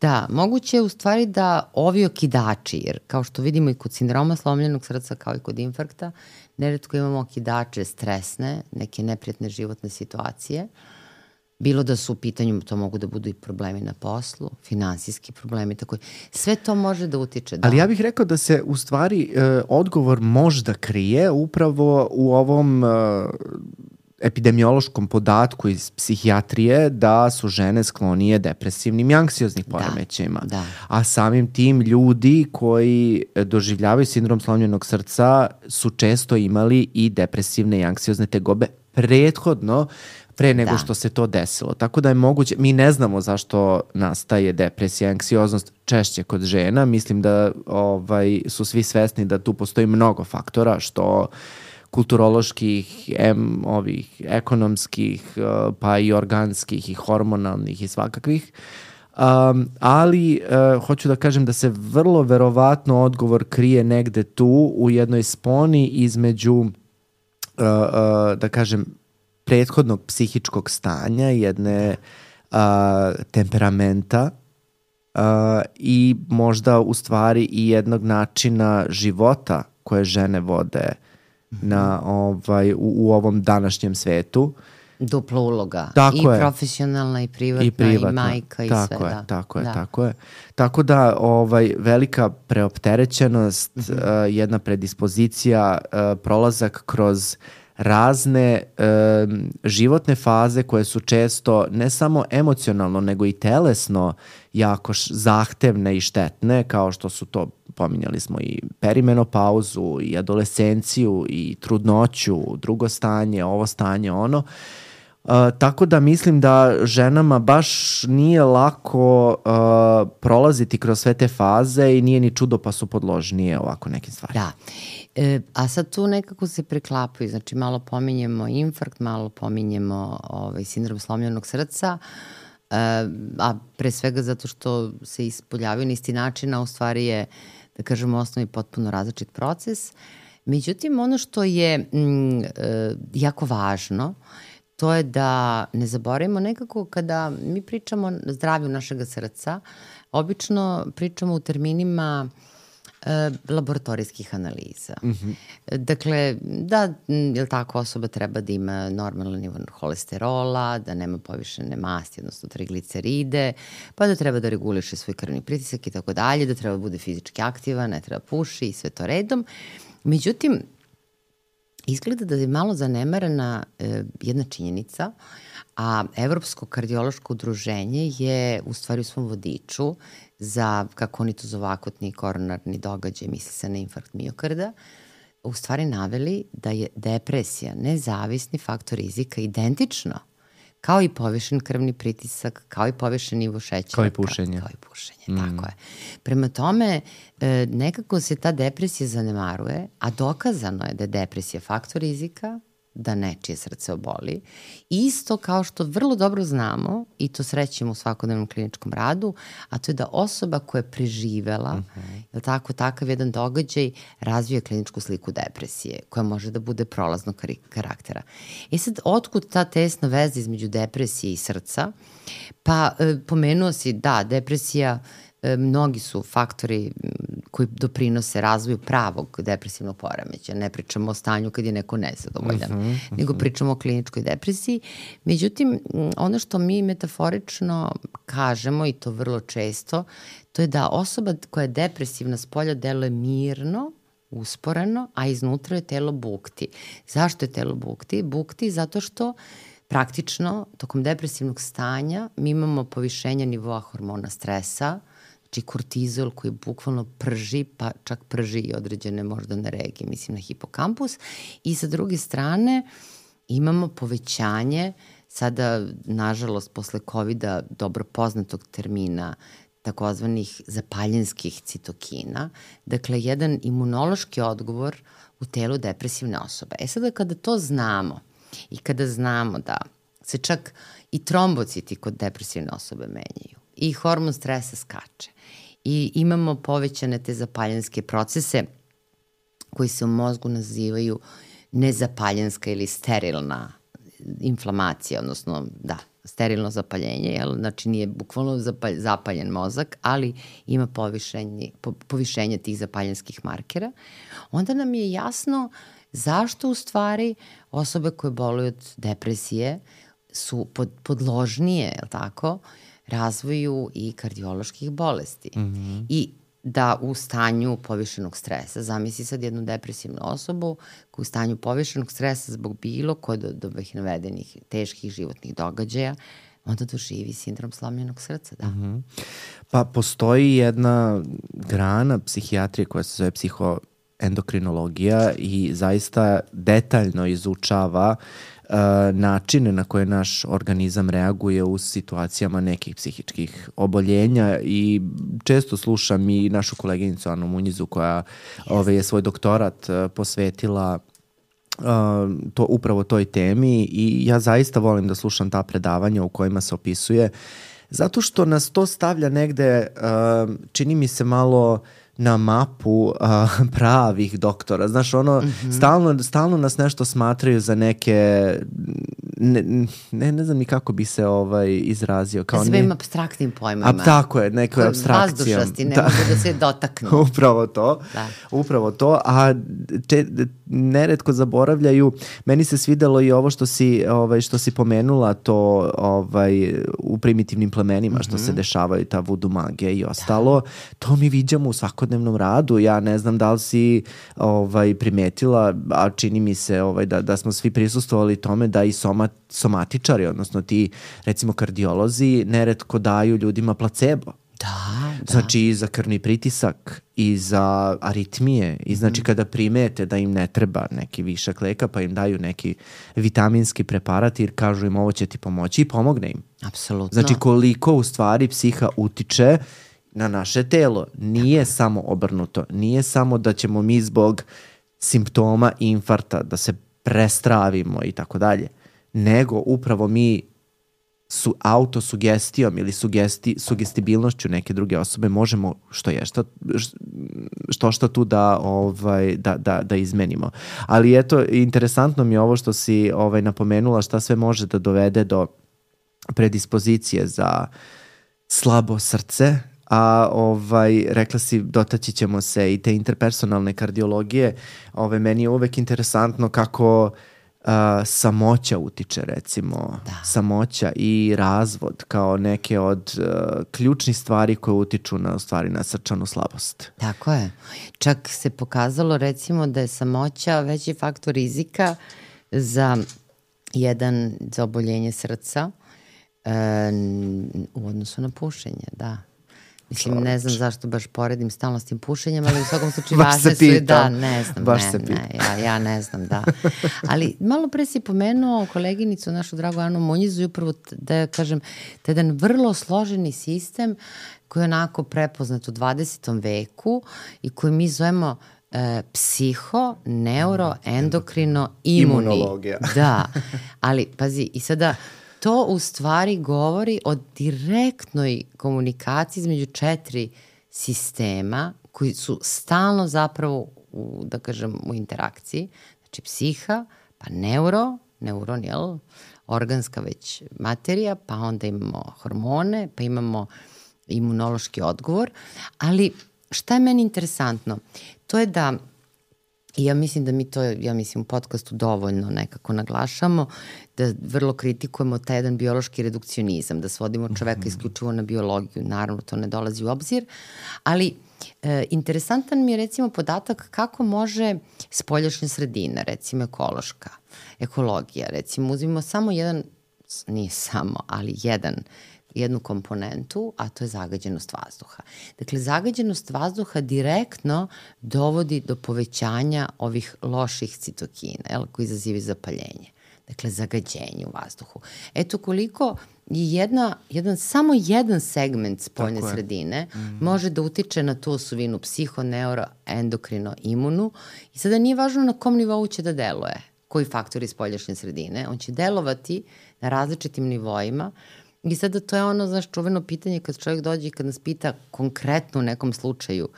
Da, moguće je u stvari da ovi okidači, jer kao što vidimo i kod sindroma slomljenog srca kao i kod infarkta, neretko imamo okidače stresne, neke neprijatne životne situacije. Bilo da su u pitanju, to mogu da budu i problemi na poslu, finansijski problemi, tako. Sve to može da utiče. Da. Ali ja bih rekao da se u stvari e, odgovor možda krije upravo u ovom e, epidemiološkom podatku iz psihijatrije da su žene sklonije depresivnim i anksioznih poremećajima. Da, da. A samim tim ljudi koji doživljavaju sindrom slomljenog srca su često imali i depresivne i anksiozne tegobe prethodno pre nego da. što se to desilo. Tako da je moguće, mi ne znamo zašto nastaje depresija, anksioznost češće kod žena. Mislim da ovaj, su svi svesni da tu postoji mnogo faktora, što kulturoloških, em, ovih, ekonomskih, pa i organskih i hormonalnih i svakakvih. Um, ali uh, hoću da kažem da se vrlo verovatno odgovor krije negde tu u jednoj sponi između uh, uh, da kažem prethodnog psihičkog stanja, jedne uh, temperamenta uh, i možda u stvari i jednog načina života koje žene vode na, ovaj, u, u ovom današnjem svetu. Dupla uloga. Tako I je. profesionalna, i privatna, i, privatna. i majka, i tako sve. Je, da. tako je, da. tako je. Tako da ovaj, velika preopterećenost, mm-hmm. uh, jedna predispozicija, uh, prolazak kroz razne uh, životne faze koje su često ne samo emocionalno, nego i telesno jako š- zahtevne i štetne, kao što su to, pominjali smo i perimenopauzu, i adolescenciju, i trudnoću, drugo stanje, ovo stanje, ono. Uh, tako da mislim da ženama baš nije lako uh, prolaziti kroz sve te faze i nije ni čudo pa su podložnije ovako nekim stvarima. Da. E, a sad tu nekako se preklapaju, znači malo pominjemo infarkt, malo pominjemo ovaj, sindrom slomljenog srca, e, a pre svega zato što se ispoljavaju na isti način, a u stvari je, da kažemo, osnovni potpuno različit proces. Međutim, ono što je m, e, jako važno, to je da ne zaboravimo nekako kada mi pričamo o zdravlju našeg srca, obično pričamo u terminima e, laboratorijskih analiza. Mm-hmm. Dakle, da, jel tako, osoba treba da ima normalan nivo holesterola, da nema povišene masti, odnosno trigliceride, pa da treba da reguliše svoj krvni pritisak i tako dalje, da treba da bude fizički aktivan, ne treba puši i sve to redom. Međutim, izgleda da je malo zanemarena e, jedna činjenica, a Evropsko kardiološko udruženje je u stvari u svom vodiču za, kako oni to zovu, akutni koronarni događaj, misli se na infarkt miokarda, u stvari naveli da je depresija nezavisni faktor rizika identično kao i povišen krvni pritisak, kao i povišen nivo šećera. Kao i pušenje. Kao i pušenje, mm. tako je. Prema tome, e, nekako se ta depresija zanemaruje, a dokazano je da je depresija faktor rizika, da nečije srce oboli. Isto kao što vrlo dobro znamo, i to srećemo u svakodnevnom kliničkom radu, a to je da osoba koja je preživela, uh-huh. je tako, takav jedan događaj, razvija kliničku sliku depresije, koja može da bude prolaznog karaktera. E sad, otkud ta tesna veza između depresije i srca? Pa, e, pomenuo si, da, depresija, e, mnogi su faktori koji doprinose razvoju pravog depresivnog poremećaja. Ne pričamo o stanju kad je neko nezadovoljan, uh-huh, uh-huh. nego pričamo o kliničkoj depresiji. Međutim, ono što mi metaforično kažemo, i to vrlo često, to je da osoba koja je depresivna spolja deluje mirno, usporeno, a iznutra je telo bukti. Zašto je telo bukti? Bukti zato što praktično tokom depresivnog stanja mi imamo povišenje nivoa hormona stresa, znači kortizol koji bukvalno prži, pa čak prži i određene moždane regije, mislim na hipokampus. I sa druge strane imamo povećanje, sada nažalost posle kovida dobro poznatog termina, takozvanih zapaljenskih citokina, dakle jedan imunološki odgovor u telu depresivne osobe. E sada kada to znamo i kada znamo da se čak i trombociti kod depresivne osobe menjaju i hormon stresa skače i imamo povećane te zapaljenske procese koji se u mozgu nazivaju nezapaljenska ili sterilna inflamacija, odnosno da, sterilno zapaljenje, jel? Znači nije bukvalno zapalj, zapaljen mozak, ali ima povišenje, po, povišenje tih zapaljenskih markera, onda nam je jasno zašto u stvari osobe koje boluju od depresije su pod, podložnije, jel tako, razvoju i kardioloških bolesti. Mm-hmm. I da u stanju povišenog stresa, zamisli sad jednu depresivnu osobu koja u stanju povišenog stresa zbog bilo koje od ovih navedenih teških životnih događaja, onda doživi sindrom slomljenog srca, da. Mm-hmm. Pa postoji jedna grana psihijatrije koja se zove psihoendokrinologija i zaista detaljno izučava Uh, načine na koje naš organizam reaguje u situacijama nekih psihičkih oboljenja i često slušam i našu koleginicu Anu Munjizu koja yes. ove, je svoj doktorat uh, posvetila uh, to, upravo toj temi i ja zaista volim da slušam ta predavanja u kojima se opisuje zato što nas to stavlja negde, uh, čini mi se malo na mapu uh, pravih doktora. Znaš, ono, mm-hmm. stalno, stalno nas nešto smatraju za neke, ne, ne, ne znam ni kako bi se ovaj, izrazio. Kao svim ne, apstraktnim pojmama. A, tako je, neke apstrakcije. Vazdušnosti, ne da. mogu da se dotaknu. Upravo to. Da. Upravo to. A če, neretko zaboravljaju, meni se svidelo i ovo što si, ovaj, što si pomenula, to ovaj, u primitivnim plemenima, mm-hmm. što se dešavaju, ta vudu magija i ostalo. Da. To mi viđamo u svakodnevnom radu. Ja ne znam da li si ovaj, primetila, a čini mi se ovaj, da, da smo svi prisustvovali tome da i somat, somatičari, odnosno ti recimo kardiolozi, neretko daju ljudima placebo. Da, da. Znači i za krvni pritisak i za aritmije i znači mm. kada primete da im ne treba neki višak leka pa im daju neki vitaminski preparat jer kažu im ovo će ti pomoći i pomogne im. Apsolutno. Znači koliko u stvari psiha utiče na naše telo. Nije samo obrnuto. Nije samo da ćemo mi zbog simptoma infarkta da se prestravimo i tako dalje. Nego upravo mi su autosugestijom ili sugesti, sugestibilnošću neke druge osobe možemo što je što, što, što tu da, ovaj, da, da, da izmenimo. Ali eto, interesantno mi je ovo što si ovaj, napomenula šta sve može da dovede do predispozicije za slabo srce, a ovaj, rekla si, dotaći ćemo se i te interpersonalne kardiologije. Ovaj, meni je uvek interesantno kako uh, samoća utiče, recimo. Da. Samoća i razvod kao neke od uh, ključnih stvari koje utiču na, u stvari, na srčanu slabost. Tako je. Čak se pokazalo, recimo, da je samoća veći faktor rizika za jedan, za oboljenje srca uh, u odnosu na pušenje, da. Mislim, ne znam zašto baš poredim stalno s tim pušenjem, ali u svakom slučaju važne su i da, ne znam, baš ne, ne, ja, ja ne znam, da. Ali malo pre si pomenuo koleginicu, našu dragu Anu Munjizu i upravo, da ja kažem, to je jedan vrlo složeni sistem koji je onako prepoznat u dvadesetom veku i koji mi zovemo e, psiho, neuro, endokrino, imuni. Imunologija. Da, ali pazi, i sada to u stvari govori o direktnoj komunikaciji između četiri sistema koji su stalno zapravo u, da kažem, u interakciji. Znači psiha, pa neuro, neuron, jel? Organska već materija, pa onda imamo hormone, pa imamo imunološki odgovor. Ali šta je meni interesantno? To je da, i ja mislim da mi to, ja mislim u podcastu dovoljno nekako naglašamo, da vrlo kritikujemo taj jedan biološki redukcionizam, da svodimo čoveka isključivo na biologiju, naravno to ne dolazi u obzir, ali e, interesantan mi je recimo podatak kako može spoljašnja sredina, recimo ekološka, ekologija, recimo uzmimo samo jedan, nije samo, ali jedan, jednu komponentu, a to je zagađenost vazduha. Dakle, zagađenost vazduha direktno dovodi do povećanja ovih loših citokina, jel, koji izazivaju zapaljenje. Dakle, zagađenje u vazduhu. Eto koliko jedna, jedan, samo jedan segment spoljne sredine mm. može da utiče na tu osovinu psiho, neuro, endokrino, imunu i sada nije važno na kom nivou će da deluje, koji faktori spoljašnje sredine. On će delovati na različitim nivoima. I sada to je ono, znaš, čuveno pitanje kad čovjek dođe i kad nas pita konkretno u nekom slučaju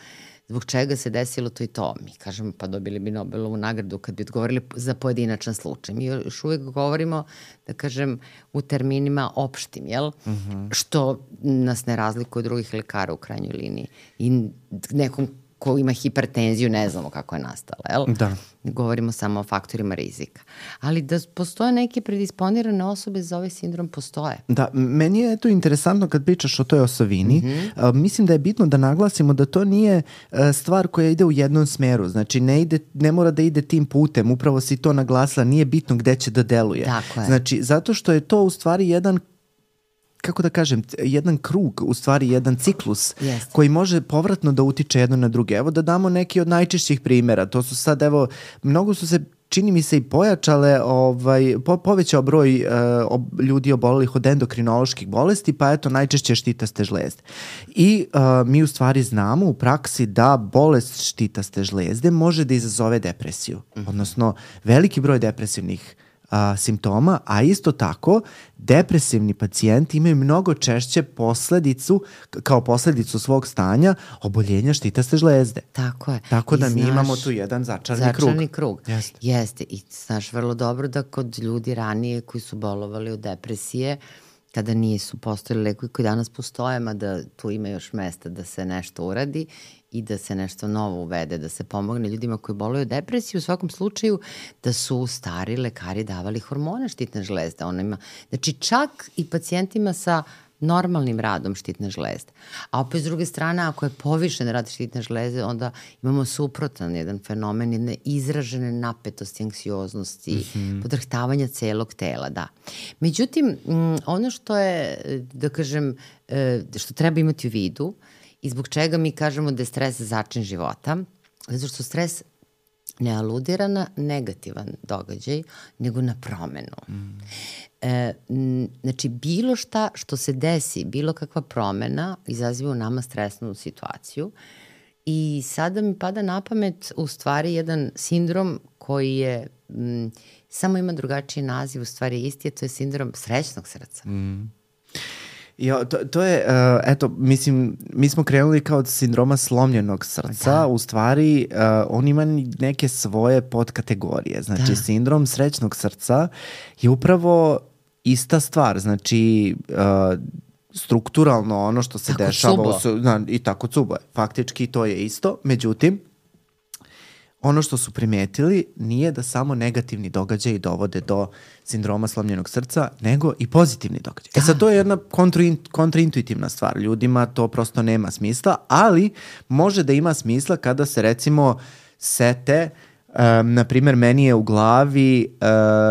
zbog čega se desilo to i to. Mi kažemo, pa dobili bi Nobelovu nagradu kad bi odgovorili za pojedinačan slučaj. Mi još uvek govorimo, da kažem, u terminima opštim, jel? Mm-hmm. Što nas ne razlikuje od drugih lekara u krajnjoj liniji. I nekom ko ima hipertenziju, ne znamo kako je nastala, jel? Da. Govorimo samo o faktorima rizika. Ali da postoje neke predisponirane osobe za ovaj sindrom, postoje. Da, meni je to interesantno kad pričaš o toj osovini. Mm-hmm. Uh, mislim da je bitno da naglasimo da to nije uh, stvar koja ide u jednom smeru. Znači, ne, ide, ne mora da ide tim putem. Upravo si to naglasila, nije bitno gde će da deluje. Tako je. Znači, zato što je to u stvari jedan kako da kažem, jedan krug, u stvari jedan ciklus Jeste. koji može povratno da utiče jedno na druge. Evo da damo neki od najčešćih primjera. To su sad, evo, mnogo su se, čini mi se, i pojačale, ovaj, po, povećao broj uh, ob, ljudi obolelih od endokrinoloških bolesti, pa eto, najčešće štitaste žlezde. I uh, mi u stvari znamo u praksi da bolest štitaste žlezde može da izazove depresiju. Mm-hmm. Odnosno, veliki broj depresivnih A, simptoma, a isto tako depresivni pacijenti imaju mnogo češće posledicu, kao posledicu svog stanja oboljenja štitaste žlezde. Tako je. Tako I da mi znaš, imamo tu jedan začarni krug. Začarni krug. Jeste. Jeste. I znaš vrlo dobro da kod ljudi ranije koji su bolovali od depresije, kada nisu postojali lekovi koji danas postoje, mada tu ima još mesta da se nešto uradi i da se nešto novo uvede, da se pomogne ljudima koji boluju od depresije, u svakom slučaju da su stari lekari davali hormone štitne žlezde. Ona ima, znači čak i pacijentima sa normalnim radom štitne žlezde. A opet s druge strane, ako je povišen rad štitne žlezde, onda imamo suprotan jedan fenomen, jedne izražene napetosti, anksioznosti, mm-hmm. podrhtavanja celog tela, da. Međutim, ono što je, da kažem, što treba imati u vidu i zbog čega mi kažemo da je stres začin života, zato što stres ne aludira na negativan događaj, nego na promenu. Mm. E, znači, bilo šta što se desi, bilo kakva promena, izaziva u nama stresnu situaciju. I sada mi pada na pamet u stvari jedan sindrom koji je, m, samo ima drugačiji naziv, u stvari isti, to je sindrom srećnog srca. Mm. Jo, to, to je, uh, eto, mislim, mi smo krenuli kao od sindroma slomljenog srca, da. U stvari uh, on ima neke svoje podkategorije, znači da. Sindrom srećnog srca je upravo ista stvar, znači uh, strukturalno ono što se tako dešava su, na, i tako cubo, faktički to je isto, međutim, ono što su primetili nije da samo negativni događaji dovode do sindroma slomljenog srca, nego i pozitivni događaj. Da. E sad, to je jedna kontraint, kontraintuitivna stvar. Ljudima to prosto nema smisla, ali može da ima smisla kada se recimo sete, um, na primjer, meni je u glavi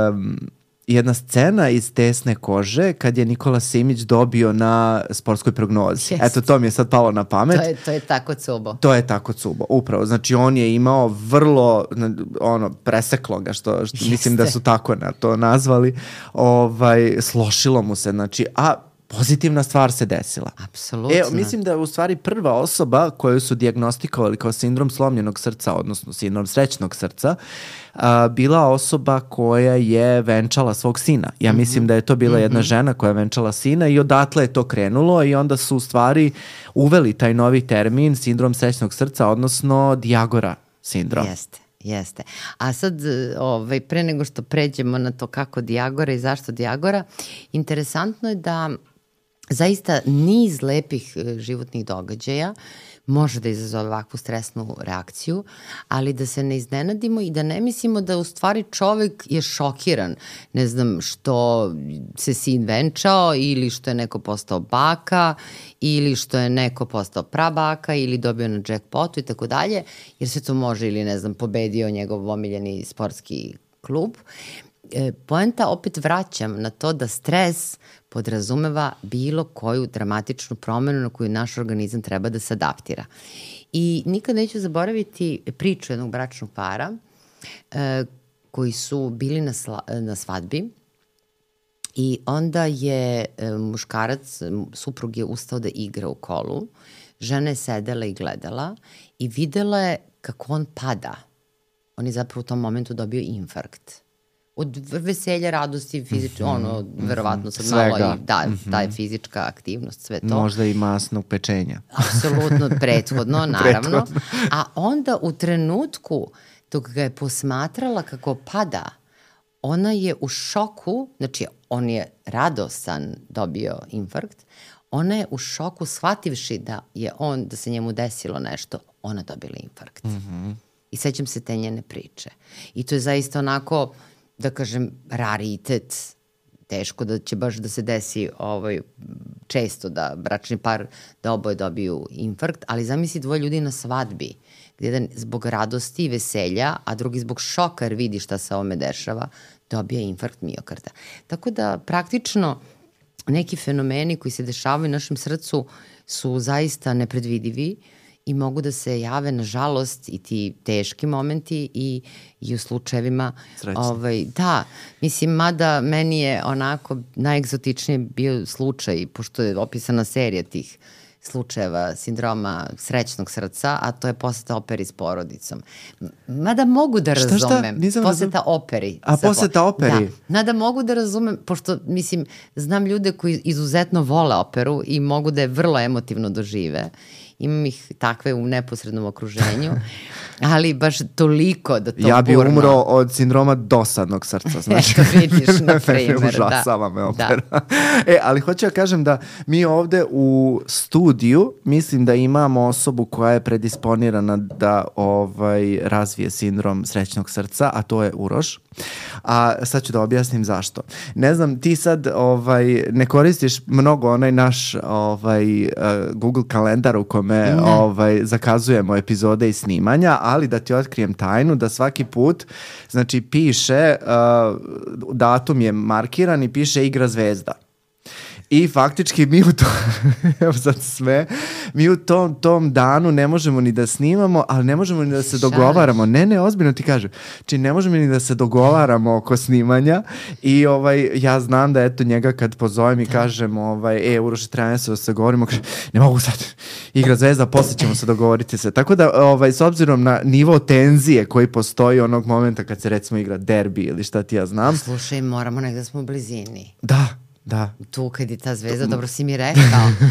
um, jedna scena iz Tesne kože kad je Nikola Simić dobio na sportskoj prognozi. Yes. Eto, to mi je sad palo na pamet. To je, to je tako cubo. To je tako cubo, upravo. Znači, on je imao vrlo, ono, preseklo ga, što, što mislim da su tako na to nazvali, ovaj, slošilo mu se, znači, a pozitivna stvar se desila. Apsolutno. Evo, mislim da je u stvari prva osoba koju su dijagnostikovali kao sindrom slomljenog srca, odnosno sindrom srećnog srca, a, bila osoba koja je venčala svog sina. Ja mm-hmm. mislim da je to bila jedna mm-hmm. žena koja je venčala sina i odatle je to krenulo i onda su u stvari uveli taj novi termin sindrom srećnog srca, odnosno Diagora sindrom. Jeste. Jeste. A sad, ovaj, pre nego što pređemo na to kako Diagora i zašto Diagora, interesantno je da zaista niz lepih životnih događaja može da izazove ovakvu stresnu reakciju, ali da se ne iznenadimo i da ne mislimo da u stvari čovek je šokiran, ne znam, što se sin venčao ili što je neko postao baka ili što je neko postao prabaka ili dobio na jackpotu i tako dalje, jer sve to može ili, ne znam, pobedio njegov omiljeni sportski klub. E, poenta opet vraćam na to da stres podrazumeva bilo koju dramatičnu promenu na koju naš organizam treba da se adaptira. I nikad neću zaboraviti priču jednog bračnog para e, koji su bili na, sla, na svadbi i onda je e, muškarac, suprug je ustao da igra u kolu, žena je sedela i gledala i videla je kako on pada. On je zapravo u tom momentu dobio infarkt. od veselja, radosti, fizički, mm-hmm. ono, verovatno sad Svega. malo i da, mm-hmm. ta je fizička aktivnost, sve to. Možda i masnog pečenja. Apsolutno, prethodno, naravno. Prethodno. A onda u trenutku dok ga je posmatrala kako pada, ona je u šoku, znači on je radosan dobio infarkt, ona je u šoku shvativši da je on, da se njemu desilo nešto, ona dobila infarkt. Mm-hmm. I sećam se te njene priče. I to je zaista onako, da kažem, raritet. Teško da će baš da se desi ovaj, često da bračni par, da oboje dobiju infarkt, ali zamisli dvoje ljudi na svadbi, gde jedan zbog radosti i veselja, a drugi zbog šoka jer vidi šta se ovome dešava, dobija infarkt miokarda. Tako da praktično neki fenomeni koji se dešavaju u našem srcu su zaista nepredvidivi i mogu da se jave, nažalost, i ti teški momenti i, i u slučajevima... Ovaj, da, mislim, mada meni je onako najegzotičniji bio slučaj, pošto je opisana serija tih slučajeva sindroma srećnog srca, a to je poseta operi s porodicom. Mada mogu da razumem. Šta, šta? Nisam poseta razum... operi. A poseta operi? Da, mada mogu da razumem, pošto, mislim, znam ljude koji izuzetno vole operu i mogu da je vrlo emotivno dožive. Imam ih takve u neposrednom okruženju, ali baš toliko da to ja bi burno... umro od sindroma dosadnog srca, znači. Eto vidiš, na primer, da. Užasava me opera. Da. E, ali hoću ja kažem da mi ovde u studiju mislim da imamo osobu koja je predisponirana da ovaj, razvije sindrom srećnog srca, a to je Uroš. A sad ću da objasnim zašto. Ne znam, ti sad ovaj, ne koristiš mnogo onaj naš ovaj, uh, Google kalendar u kome ovaj, zakazujemo epizode i snimanja, ali da ti otkrijem tajnu da svaki put znači piše, uh, datum je markiran i piše igra zvezda. I faktički mi u to, evo sad sve, mi u tom, tom danu ne možemo ni da snimamo, ali ne možemo ni da se dogovaramo. Ne, ne, ozbiljno ti kažem. Či ne možemo ni da se dogovaramo oko snimanja i ovaj, ja znam da eto njega kad pozovem i kažem ovaj, e, Uroše, treba se da se govorimo, kaže, ne mogu sad, igra zvezda, posle ćemo se dogovoriti se. Tako da, ovaj, s obzirom na nivo tenzije koji postoji onog momenta kad se recimo igra derbi ili šta ti ja znam. Slušaj, moramo negde smo u blizini. Da. Da. Tu kad je ta zvezda, dobro si mi rekao.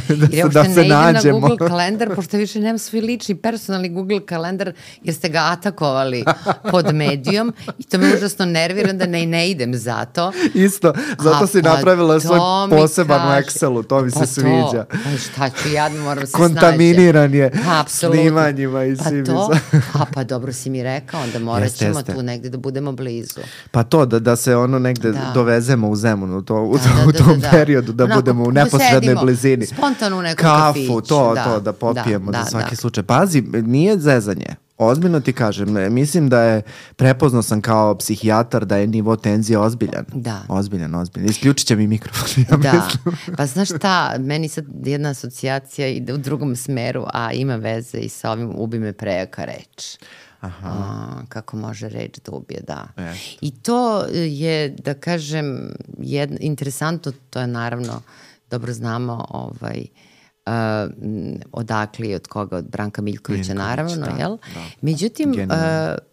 da, jer ja da uopšte se ne idem nađemo. na Google kalendar, pošto više nemam svoj lični personalni Google kalendar, jer ste ga atakovali pod medijom i to me užasno nervira da ne, ne idem zato. Isto, zato A, si pa napravila svoj poseban kaže, u Excelu, to mi pa se sviđa. Pa šta ću ja, moram se kontaminiran snađe. je Apsolutno. snimanjima i pa svim. To, a pa dobro si mi rekao, onda morat ćemo jeste, jeste. tu negde da budemo blizu. Pa to, da, da se ono negde da. dovezemo u Zemunu, to, u, da, da, u tom da, da. periodu, da onako, budemo u neposrednoj sedimo, blizini. Spontano u nekom kafu, kafiću. to, da, to, da popijemo da, za da, svaki da. slučaj. Pazi, nije zezanje. Ozbiljno ti kažem, mislim da je, prepoznao sam kao psihijatar da je nivo tenzije ozbiljan. Da. Ozbiljan, ozbiljan. Isključit će mi mikrofon, ja da. mislim. Pa znaš šta, meni sad jedna asocijacija ide u drugom smeru, a ima veze i sa ovim ubi me prejaka reč. Aha. A, kako može reč da ubije, da. Jest. I to je, da kažem, jedno, interesantno, to je naravno, dobro znamo, ovaj, Uh, odakle i od koga, od Branka Miljkovića, Miljković, naravno, da, jel? Da. Međutim, uh,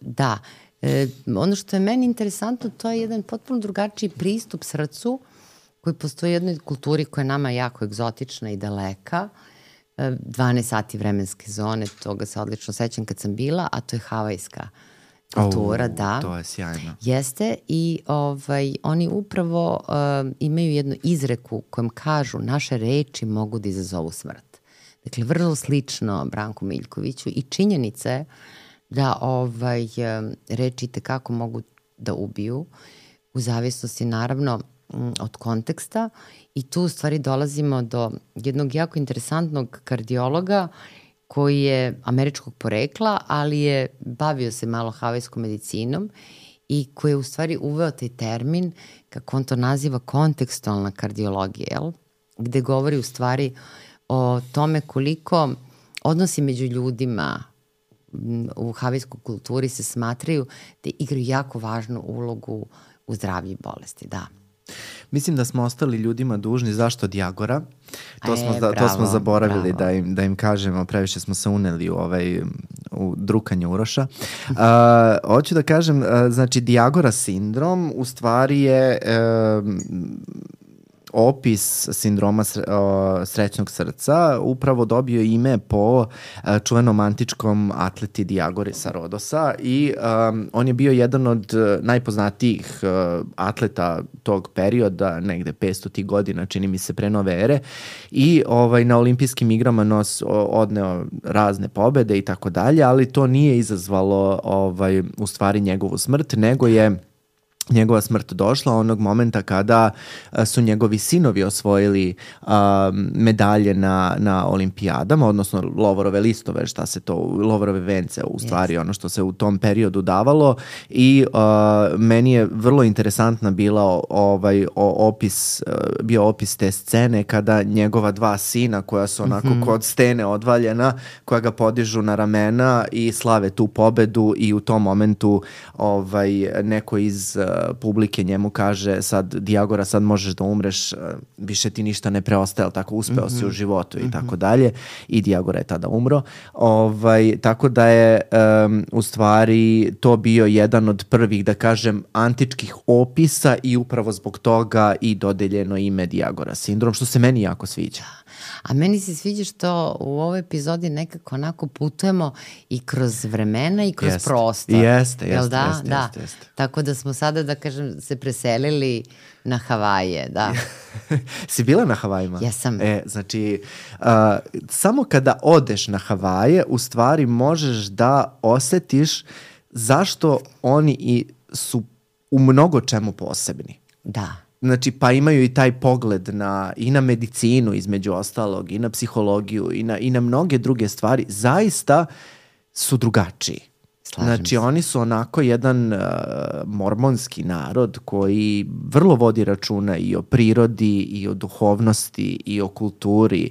da, uh, ono što je meni interesantno, to je jedan potpuno drugačiji pristup srcu koji postoji u jednoj kulturi koja je nama jako egzotična i daleka. Uh, dvanaest sati vremenske zone, toga se odlično sećam kad sam bila, a to je havajska kultura, oh, da. To je sjajno. Jeste i ovaj, oni upravo uh, imaju jednu izreku kojom kažu naše reči mogu da izazovu smrt. Dakle, vrlo slično Branku Miljkoviću i činjenica je da ovaj, reči tekako mogu da ubiju u zavisnosti naravno od konteksta i tu u stvari dolazimo do jednog jako interesantnog kardiologa koji je američkog porekla, ali je bavio se malo havajskom medicinom i koji je u stvari uveo taj termin, kako on to naziva, kontekstualna kardiologija, jel? Gde govori u stvari o tome koliko odnosi među ljudima u havajskoj kulturi se smatraju da igraju jako važnu ulogu u zdravlju i bolesti, da. Mislim da smo ostali ljudima dužni, zašto od Jagora? To, e, smo, da, bravo, to smo zaboravili bravo. da im, da im kažemo, previše smo se uneli u, ovaj, u u drukanje Uroša. Uh, hoću da kažem, uh, znači Diagora sindrom u stvari je uh, opis sindroma srećnog srca upravo dobio ime po čuvenom antičkom atleti Diagori sa Rodosa i um, on je bio jedan od najpoznatijih uh, atleta tog perioda, negde petsto godina, čini mi se pre nove ere, i ovaj, na olimpijskim igrama nos odneo razne pobede i tako dalje, ali to nije izazvalo ovaj, u stvari njegovu smrt, nego je njegova smrt došla onog momenta kada su njegovi sinovi osvojili uh, medalje na, na olimpijadama, odnosno lovorove listove, šta se to, lovorove vence u stvari, yes. ono što se u tom periodu davalo i uh, meni je vrlo interesantna bila ovaj o, opis, uh, bio opis te scene kada njegova dva sina koja su onako mm-hmm. kod stene odvaljena, koja ga podižu na ramena i slave tu pobedu i u tom momentu ovaj, neko iz publike njemu kaže sad Diagora, sad možeš da umreš, više ti ništa ne preostaje, tako uspeo mm-hmm. si u životu i mm-hmm. tako dalje, i Diagora je tada umro. Ovaj, tako da je um, u stvari to bio jedan od prvih, da kažem, antičkih opisa i upravo zbog toga i dodeljeno ime Diagora sindrom, što se meni jako sviđa. A meni se sviđa što u ovoj epizodi nekako onako putujemo i kroz vremena i kroz jest. prostor. Jeste, jeste, da? jeste, da. jeste, jeste. Tako da smo sada, da kažem, se preselili na Havaje, da. Si bila na Havajima? Jesam. E, znači, uh, samo kada odeš na Havaje, u stvari možeš da osetiš zašto oni i su u mnogo čemu posebni. Da. Znači, pa imaju i taj pogled na, i na medicinu između ostalog, i na psihologiju, i na, i na mnoge druge stvari. Zaista su drugačiji. Slažem znači, se. Oni su onako jedan uh, mormonski narod koji vrlo vodi računa i o prirodi, i o duhovnosti, i o kulturi.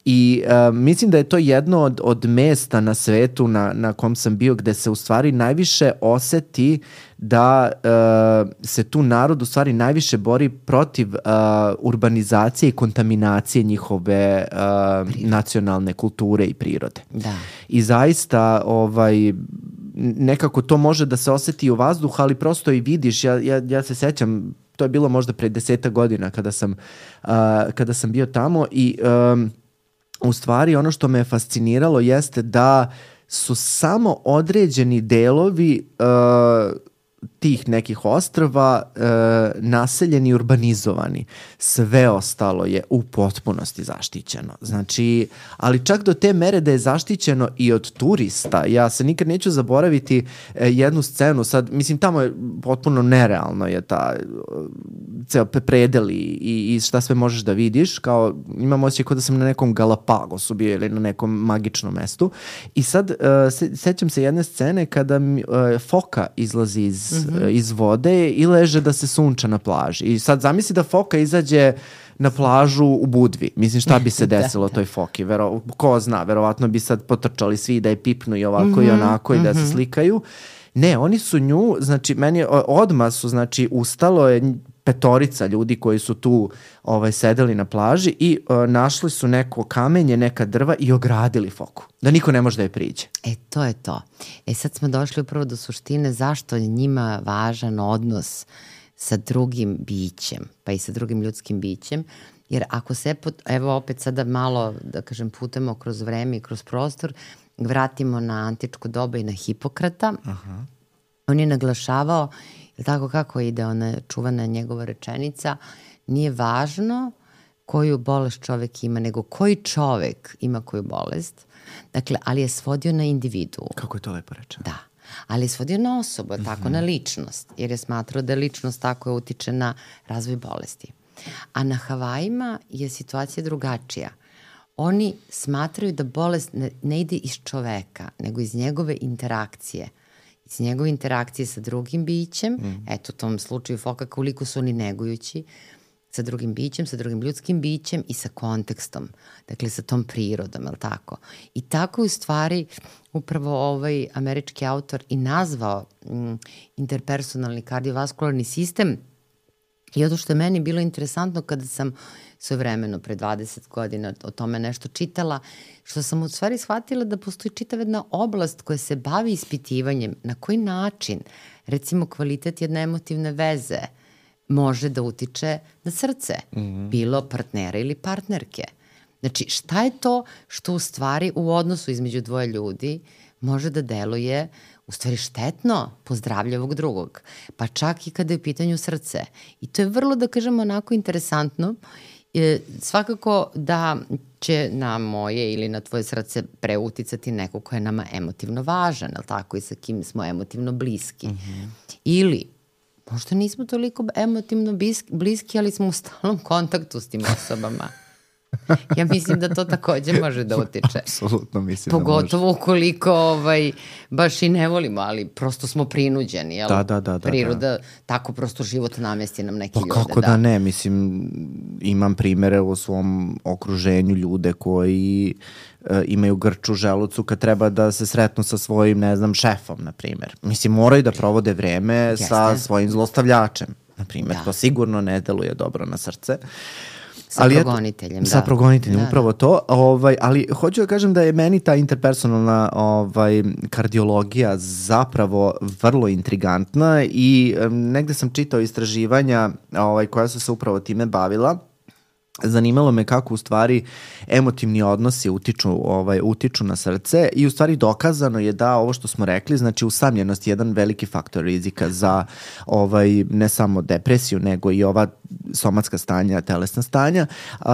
I uh, mislim da je to jedno od, od mesta na svetu na, na kom sam bio gde se u stvari najviše oseti da uh, se tu narod u stvari najviše bori protiv uh, urbanizacije i kontaminacije njihove uh, nacionalne kulture i prirode. Da. I zaista ovaj, nekako to može da se oseti u vazduhu, ali prosto i vidiš, ja, ja, ja se sećam, to je bilo možda pre deseta godina kada sam, uh, kada sam bio tamo i um, u stvari ono što me je fasciniralo jeste da su samo određeni delovi uh, tih nekih ostrva uh, naseljeni i urbanizovani. Sve ostalo je u potpunosti zaštićeno. Znači, ali čak do te mere da je zaštićeno i od turista. Ja se nikad neću zaboraviti uh, jednu scenu. Sad, mislim, tamo je potpuno nerealno je ta uh, ceo predel i, i šta sve možeš da vidiš. Kao, imam osjećaj kao da sam na nekom Galapagosu bio ili na nekom magičnom mestu. I sad, uh, se, sećam se jedne scene kada mi, uh, foka izlazi iz Mm-hmm. iz vode i leže da se sunča na plaži. I sad zamisli da foka izađe na plažu u Budvi. Mislim, šta bi se desilo da, toj foki? Vero, ko zna, verovatno bi sad potrčali svi da je pipnu i ovako mm-hmm. i onako i da mm-hmm. se slikaju. Ne, oni su nju, znači, meni odmah su, znači, ustalo je petorica ljudi koji su tu ovaj, sedeli na plaži i uh, našli su neko kamenje, neka drva i ogradili foku. Da niko ne može da je priđe. E, to je to. E, sad smo došli upravo do suštine zašto je njima važan odnos sa drugim bićem, pa i sa drugim ljudskim bićem. Jer ako se, evo opet sada malo, da kažem, putemo kroz vreme i kroz prostor, vratimo na antičko doba i na Hipokrata. Aha. On je naglašavao, tako kako ide ona čuvana njegova rečenica, nije važno koju bolest čovek ima, nego koji čovek ima koju bolest. Dakle, ali je svodio na individu. Kako je to lepo rečeno. Da. Ali je svodio na osobu, mm-hmm. tako na ličnost. Jer je smatrao da ličnost tako je utiče na razvoj bolesti. A na Havajima je situacija drugačija. Oni smatraju da bolest ne, ne ide iz čoveka, nego iz njegove interakcije. Iz njegove interakcije sa drugim bićem, mm. eto u tom slučaju foka koliko su oni negujući, sa drugim bićem, sa drugim ljudskim bićem i sa kontekstom, dakle sa tom prirodom, je li tako? I tako u stvari upravo ovaj američki autor i nazvao mm, interpersonalni kardiovaskularni sistem I ono što je meni bilo interesantno kada sam svojevremeno pre dvadeset godina o tome nešto čitala, što sam u stvari shvatila da postoji čitava jedna oblast koja se bavi ispitivanjem na koji način, recimo, kvalitet jedne emotivne veze može da utiče na srce, mm-hmm. bilo partnera ili partnerke. Znači, šta je to što u stvari u odnosu između dvoje ljudi može da deluje u stvari štetno po zdravlje ovog drugog, pa čak i kada je u pitanju srce. I to je vrlo, da kažemo, onako interesantno. E, svakako da će na moje ili na tvoje srce preuticati neko ko je nama emotivno važan, ali tako, i sa kim smo emotivno bliski. Mm-hmm. Ili možda nismo toliko emotivno bliski, ali smo u stalnom kontaktu s tim osobama. Ja mislim da to takođe može da utiče. Apsolutno mislim Pogotovo da može. Pogotovo ukoliko ovaj, baš i ne volimo, ali prosto smo prinuđeni. Jel? Da, da, da, da. Priroda, da. tako prosto život namesti nam neke pa ljude. Pa kako da. da ne, mislim, imam primere u svom okruženju ljude koji uh, imaju grč u želucu kad treba da se sretnu sa svojim, ne znam, šefom, na primer. Mislim, moraju da provode vreme Jeste. sa svojim zlostavljačem, na primer. Da. To sigurno ne deluje dobro na srce. Sa ali progoniteljem, da. Sa progoniteljem, da, upravo da. to. Ovaj, ali hoću da kažem da je meni ta interpersonalna ovaj, kardiologija zapravo vrlo intrigantna i um, negde sam čitao istraživanja ovaj, koja su se upravo time bavila. Zanimalo me kako u stvari emotivni odnosi utiču, ovaj, utiču na srce i u stvari dokazano je da ovo što smo rekli, znači usamljenost je jedan veliki faktor rizika za ovaj, ne samo depresiju, nego i ova somatska stanja, telesna stanja uh,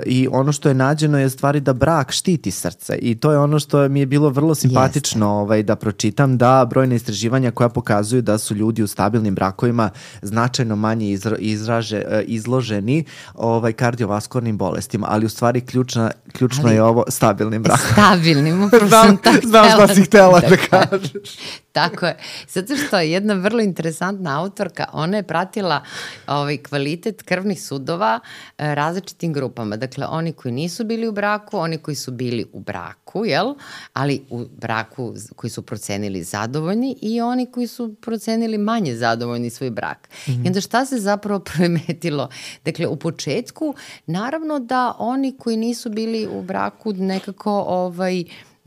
i ono što je nađeno je stvari da brak štiti srce i to je ono što mi je bilo vrlo simpatično ovaj, da pročitam, da brojne istraživanja koja pokazuju da su ljudi u stabilnim brakovima značajno manje izra, izraže, izloženi ovaj, kardiovaskularnim bolestima, ali u stvari ključna, ključno ali, je ovo stabilnim brakom. Stabilnim, upravo sam tako htjela. Znaš da si htjela da, da kažeš. Tako je. Zato što je jedna vrlo interesantna autorka, ona je pratila ovaj, kvalitet krvnih sudova e, različitim grupama. Dakle, oni koji nisu bili u braku, oni koji su bili u braku, jel? Ali u braku koji su procenili zadovoljni i oni koji su procenili manje zadovoljni svoj brak. Mm-hmm. I onda šta se zapravo primetilo? Dakle, u početku, naravno da oni koji nisu bili u braku nekako ovaj,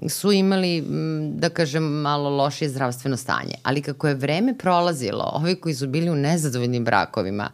su imali, da kažem, malo lošije zdravstveno stanje. Ali kako je vreme prolazilo, ovi koji su bili u nezadovoljnim brakovima,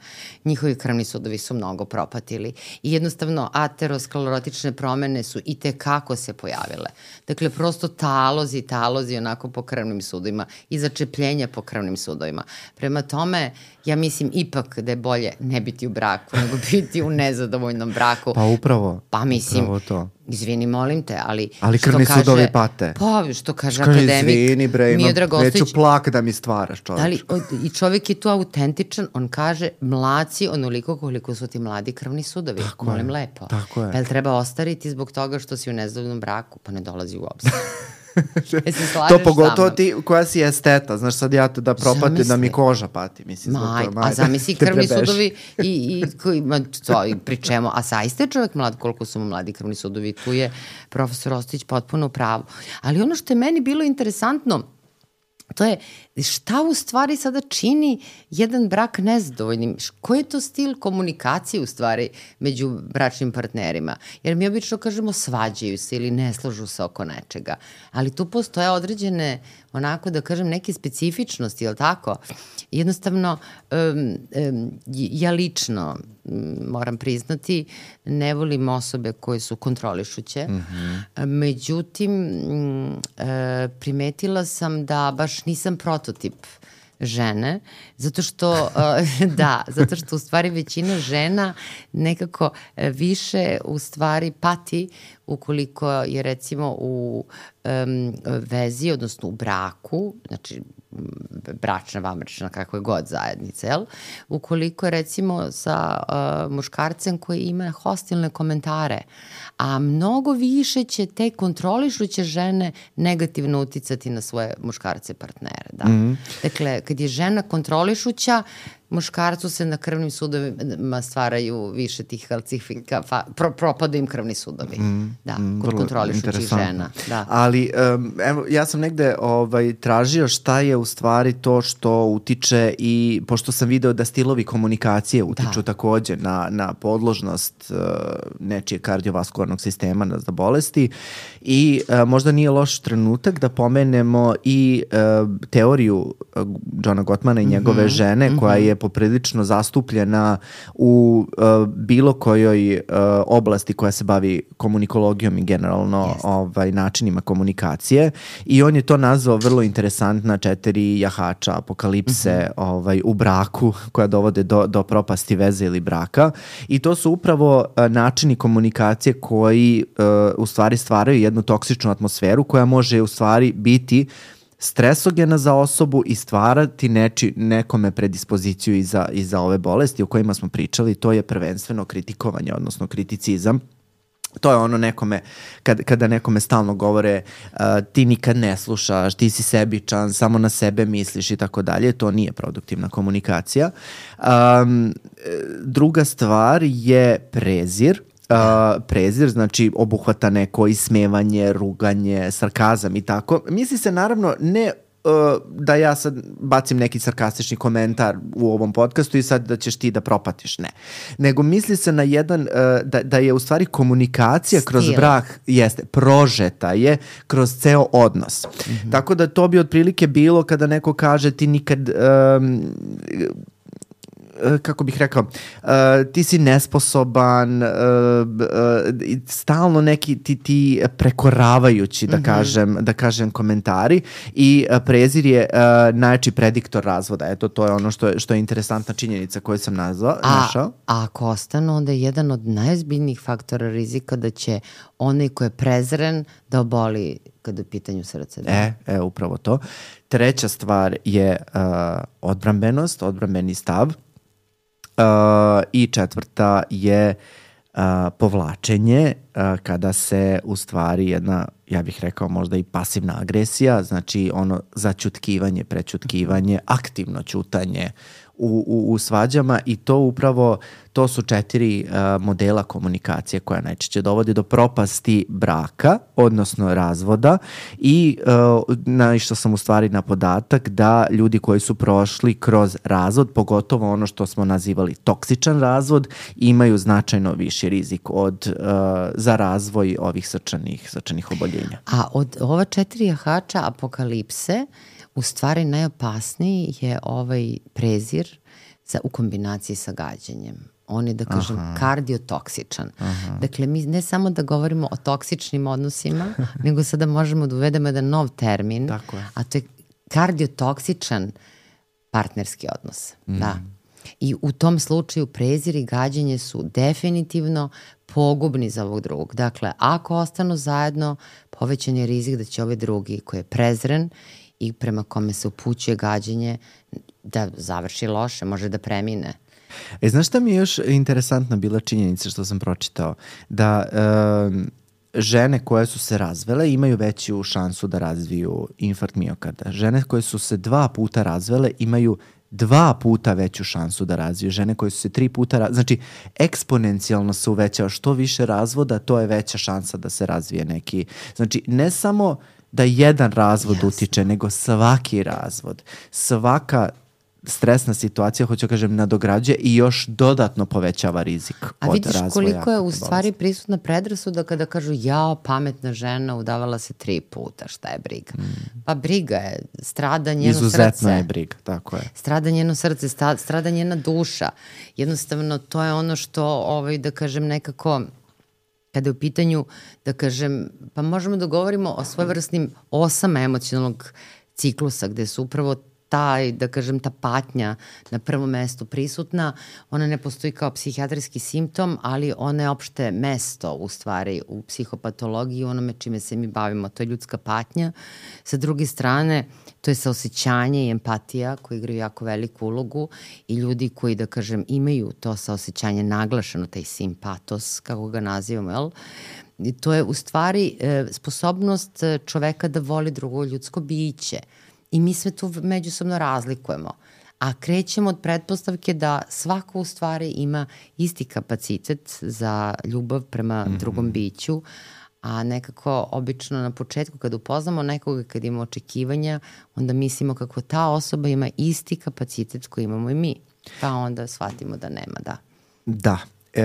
njihovi krvni sudovi su mnogo propatili. I jednostavno aterosklerotične promene su i tekako se pojavile. Dakle, prosto talozi, talozi onako po krvnim sudovima i začepljenja po krvnim sudovima. Prema tome, ja mislim ipak da je bolje ne biti u braku, nego biti u nezadovoljnom braku. Pa upravo. Pa mislim, upravo to. Izvini, molim te, ali... Ali krvni kaže, sudovi pate. Pa, što kaže što akademik izvini, bre, Miodrag Ostojić. Neću plak da mi stvaraš, čovječ. Ali, i čovjek je tu autentičan, on kaže, mlaci onoliko koliko su ti mladi krvni sudovi. Tako molim je, lepo. Tako je. Pa jel treba ostariti zbog toga što si u nezadovoljnom braku? Pa ne dolazi u obzir. To pogotovo ti koja si esteta, znaš sad ja da propate Zamisli. da mi koža pati, mislim. Maj, to, a zamisli krvni sudovi i, i, koji, ma, to, i pri čemu, a zaista je čovjek mlad koliko su mu mladi krvni sudovi, tu je profesor Ostojić potpuno u pravu. Ali ono što je meni bilo interesantno, to je šta u stvari sada čini jedan brak nezadovoljnim. Koji je to stil komunikacije u stvari među bračnim partnerima? Jer mi obično kažemo svađaju se ili ne slažu se oko nečega. Ali tu postoje određene, onako da kažem, neke specifičnosti, je li tako? Jednostavno, um, um, ja lično moram priznati, ne volim osobe koje su kontrolišuće. Mm-hmm. Međutim, primetila sam da baš nisam prototip žene, zato što, da, zato što u stvari većina žena nekako više u stvari pati ukoliko je recimo u um, vezi, odnosno u braku, znači bračna, vanbračna, kako je god zajednica, jel? Ukoliko je recimo sa uh, muškarcem koji ima hostilne komentare, a mnogo više će te kontrolišuće žene negativno uticati na svoje muškarce partnere, da. Mm-hmm. Dakle, kad je žena kontrolišuća, muškarcu se na krvnim sudovima stvaraju više tih kalcifika, fa, pro, propadaju im krvni sudovi. Mm, da, mm, kod kontrolišućih žena. Da. Ali um, evo, ja sam negde ovaj, tražio šta je u stvari to što utiče i pošto sam video da stilovi komunikacije utiču da. takođe na, na podložnost uh, nečije kardiovaskularnog sistema za bolesti i uh, možda nije loš trenutak da pomenemo i uh, teoriju uh, Johna Gottmana i njegove mm-hmm. žene mm-hmm. koja je poprilično zastupljena u uh, bilo kojoj uh, oblasti koja se bavi komunikologijom i generalno ovaj, načinima komunikacije i on je to nazvao vrlo interesantna četiri jahača apokalipse mm-hmm. ovaj, u braku koja dovode do, do propasti veze ili braka i to su upravo uh, načini komunikacije koji uh, u stvari stvaraju jednu toksičnu atmosferu koja može u stvari biti stresogena za osobu i stvarati neči, nekome predispoziciju i za, i za ove bolesti o kojima smo pričali, to je prvenstveno kritikovanje, odnosno kriticizam. To je ono nekome, kad, kada nekome stalno govore uh, ti nikad ne slušaš, ti si sebičan, samo na sebe misliš i tako dalje, to nije produktivna komunikacija. Um, druga stvar je prezir. Uh, prezir, znači obuhvata neko ismevanje, ruganje, sarkazam i tako. Misli se naravno ne uh, da ja sad bacim neki sarkastični komentar u ovom podcastu i sad da ćeš ti da propatiš, ne. Nego misli se na jedan, uh, da, da je u stvari komunikacija Stil. kroz brak, jeste, prožeta je kroz ceo odnos. Mm-hmm. Tako da to bi otprilike bilo kada neko kaže ti nikad... Um, kako bih rekao, uh, ti si nesposoban, uh, uh, stalno neki ti, ti prekoravajući, da, mm-hmm. kažem, da kažem, komentari i uh, prezir je uh, najjači prediktor razvoda. Eto, to je ono što je, što je interesantna činjenica koju sam nazvao, a, našao. A ako ostanu, onda je jedan od najozbiljnijih faktora rizika da će onaj ko je prezren da oboli kada je u pitanju srce. Da. E, e, upravo to. Treća stvar je uh, odbrambenost, odbrambeni stav. Uh, i četvrta je uh, povlačenje uh, kada se u stvari jedna, ja bih rekao možda i pasivna agresija, znači ono začutkivanje, prećutkivanje, aktivno ćutanje u, u, u svađama i to upravo, to su četiri uh, modela komunikacije koja najčešće dovodi do propasti braka, odnosno razvoda i uh, naišao sam u stvari na podatak da ljudi koji su prošli kroz razvod, pogotovo ono što smo nazivali toksičan razvod, imaju značajno viši rizik od, uh, za razvoj ovih srčanih, srčanih oboljenja. A od ova četiri jahača apokalipse u stvari najopasniji je ovaj prezir za, u kombinaciji sa gađanjem. On je, da kažem, Aha. kardiotoksičan. Aha. Dakle, mi ne samo da govorimo o toksičnim odnosima, nego sada možemo da uvedemo jedan nov termin, a to je kardiotoksičan partnerski odnos. Mm. Da. I u tom slučaju prezir i gađanje su definitivno pogubni za ovog drugog. Dakle, ako ostanu zajedno, povećan je rizik da će ovaj drugi koji je prezren i prema kome se upućuje gađanje da završi loše, može da premine. E, znaš šta mi je još interesantna bila činjenica što sam pročitao? Da e, žene koje su se razvele imaju veću šansu da razviju infarkt miokarda. Žene koje su se dva puta razvele imaju dva puta veću šansu da razviju. Žene koje su se tri puta razvile, znači eksponencijalno se uvećava. Što više razvoda, to je veća šansa da se razvije neki. Znači, ne samo da jedan razvod Jasne. utiče, nego svaki razvod. Svaka stresna situacija, hoću kažem, nadograđuje i još dodatno povećava rizik od razvoja. A vidiš koliko je u stvari prisutna predrasuda kada kažu jao, pametna žena udavala se tri puta, šta je briga? Mm. Pa briga je, strada njeno Izuzetno srce. Izuzetno je briga, tako je. Strada njeno srce, strada njena duša. Jednostavno, to je ono što, ovaj, da kažem, nekako... Kada je u pitanju, da kažem, pa možemo da govorimo o svojevrsnim osama emocionalnog ciklusa, gde su upravo taj, da kažem, ta patnja na prvom mestu prisutna. Ona ne postoji kao psihijatrijski simptom, ali ona je opšte mesto u stvari u psihopatologiji, onome čime se mi bavimo. To je ljudska patnja. Sa druge strane, to je saosećanje i empatija koji igraju jako veliku ulogu i ljudi koji, da kažem, imaju to saosećanje naglašeno, taj simpatos, kako ga nazivamo, jel? I to je u stvari e, sposobnost čoveka da voli drugo ljudsko biće. I mi sve tu međusobno razlikujemo. A krećemo od pretpostavke da svako u stvari ima isti kapacitet za ljubav prema mm-hmm. drugom biću, a nekako obično na početku kad upoznamo nekoga, kad imamo očekivanja, onda mislimo kako ta osoba ima isti kapacitet koji imamo i mi. Pa onda shvatimo da nema, da. Da. E,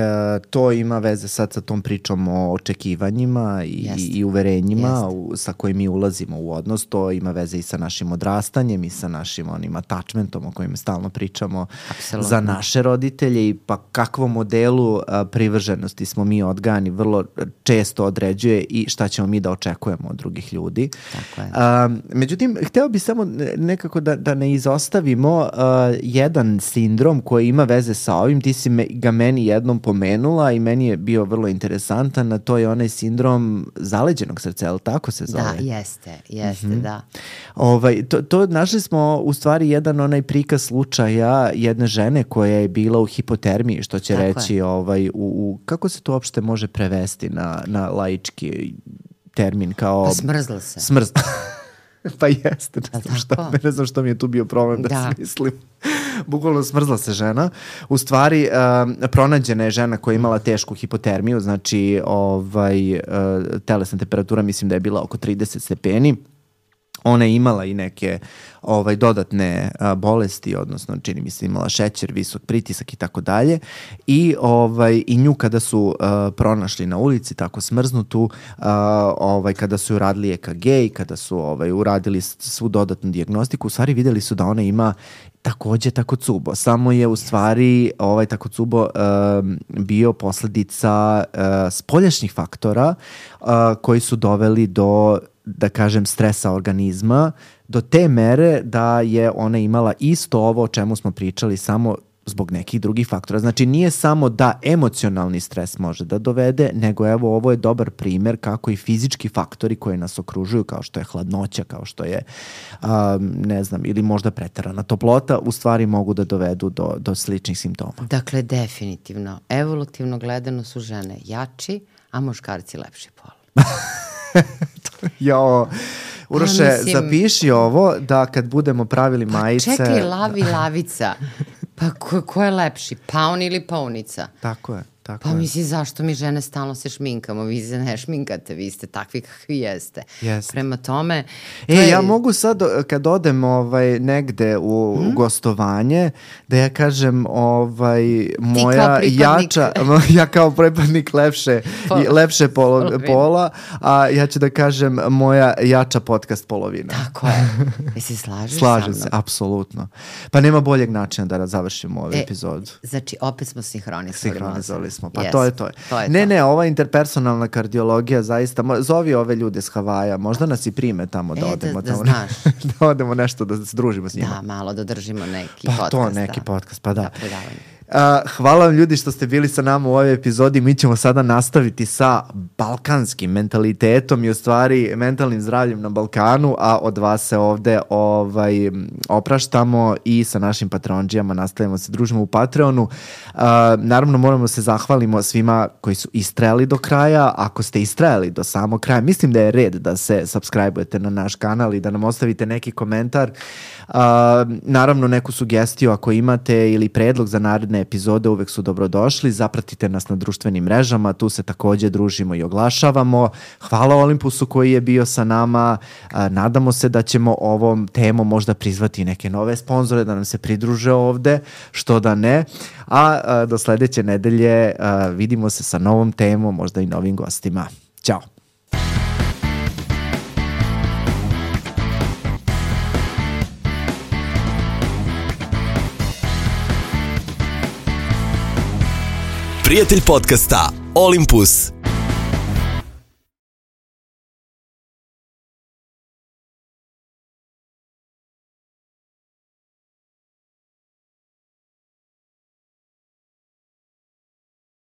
to ima veze sad sa tom pričom o očekivanjima i, i uverenjima u, sa kojim mi ulazimo u odnos. To ima veze i sa našim odrastanjem i sa našim onim attachmentom o kojim stalno pričamo. Absolutno. Za naše roditelje i pa kakvom modelu a, privrženosti smo mi odgajani vrlo često određuje i šta ćemo mi da očekujemo od drugih ljudi. Tako je. A, međutim, hteo bih samo nekako da, da ne izostavimo a, jedan sindrom koji ima veze sa ovim. Ti si me, ga meni jednom pomenula i meni je bio vrlo interesantan, a to je onaj sindrom zaleđenog srca, ali tako se zove? Da, jeste, jeste, mm-hmm. da. Ovaj, to, to našli smo u stvari jedan onaj prikaz slučaja jedne žene koja je bila u hipotermiji, što će tako reći, ovaj, u, u, kako se to uopšte može prevesti na, na laički termin kao... Pa smrzla se. Smrzla. Pa jeste, ne znam, šta, ne znam što mi je tu bio problem da, da. smislim. Bukvalno smrzla se žena. U stvari, uh, pronađena je žena koja je imala tešku hipotermiju, znači ovaj, uh, telesna temperatura mislim da je bila oko trideset stepeni. Ona je imala i neke ovaj, dodatne a, bolesti, odnosno čini mi se imala šećer, visok pritisak i tako dalje. I, ovaj, i nju kada su a, pronašli na ulici tako smrznutu, a, ovaj, kada su uradili E K G i kada su ovaj, uradili svu dodatnu dijagnostiku, u stvari videli su da ona ima takođe Takotsubo. Samo je u stvari ovaj Takotsubo um, bio posledica uh, spoljašnjih faktora uh, koji su doveli do, da kažem, stresa organizma, do te mere da je ona imala isto ovo o čemu smo pričali, samo zbog nekih drugih faktora. Znači nije samo da emocionalni stres može da dovede, nego evo ovo je dobar primer kako i fizički faktori koji nas okružuju, kao što je hladnoća, kao što je um, ne znam, ili možda preterana toplota, u stvari mogu da dovedu do, do sličnih simptoma. Dakle, definitivno, evolutivno gledano su žene jači, a muškarci lepši pol. Jo, Uroše, ja, mislim, zapiši ovo da kad budemo pravili pa majice... Čekaj, lavi lavica. Pa ko, ko je lepši, paun ili paunica? Tako je, tako pa je. Pa misli, zašto mi žene stalno se šminkamo? Vi se ne šminkate, vi ste takvi kakvi jeste. Jeste. Prema tome... E, je... ja mogu sad, kad odem ovaj, negde u, hmm? u gostovanje, da ja kažem, ovaj, moja jača, ja kao pripadnik lepše, Pol, lepše polo, pola, a ja ću da kažem moja jača podcast polovina. Tako je. I se slažeš Slažem sa mnom? se, apsolutno. Pa nema boljeg načina da završimo ovu e, epizodu. Znači, opet smo sinhronizovali. Sinhronizovali smo, pa yes, to je to. to je ne, to. ne, ova interpersonalna kardiologija zaista, zovi ove ljude s Havaja, možda nas i prime tamo da e, odemo. Da, da tamo, znaš. da odemo nešto, da se družimo s njima. Da, malo da držimo neki pa podcast. Pa to, neki da. podcast, pa da. Da, predavanje. Uh, hvala vam ljudi što ste bili sa nama u ovoj epizodi. Mi ćemo sada nastaviti sa balkanskim mentalitetom i u stvari mentalnim zdravljem na Balkanu, a od vas se ovde ovaj, opraštamo i sa našim patronđijama nastavljamo se družimo u Patreonu. Uh, naravno moramo se zahvalimo svima koji su istrajali do kraja. Ako ste istrajali do samog kraja, mislim da je red da se subscribe-ujete na naš kanal i da nam ostavite neki komentar. Uh, naravno neku sugestiju ako imate ili predlog za naredne epizode, uvek su dobrodošli. Zapratite nas na društvenim mrežama, tu se takođe družimo i oglašavamo. Hvala Olympusu koji je bio sa nama. Uh, nadamo se da ćemo ovom temom možda prizvati neke nove sponzore da nam se pridruže ovde, što da ne. A uh, do sledeće nedelje uh, vidimo se sa novom temom, možda i novim gostima. Ćao! Prijatelj podcasta Olympus.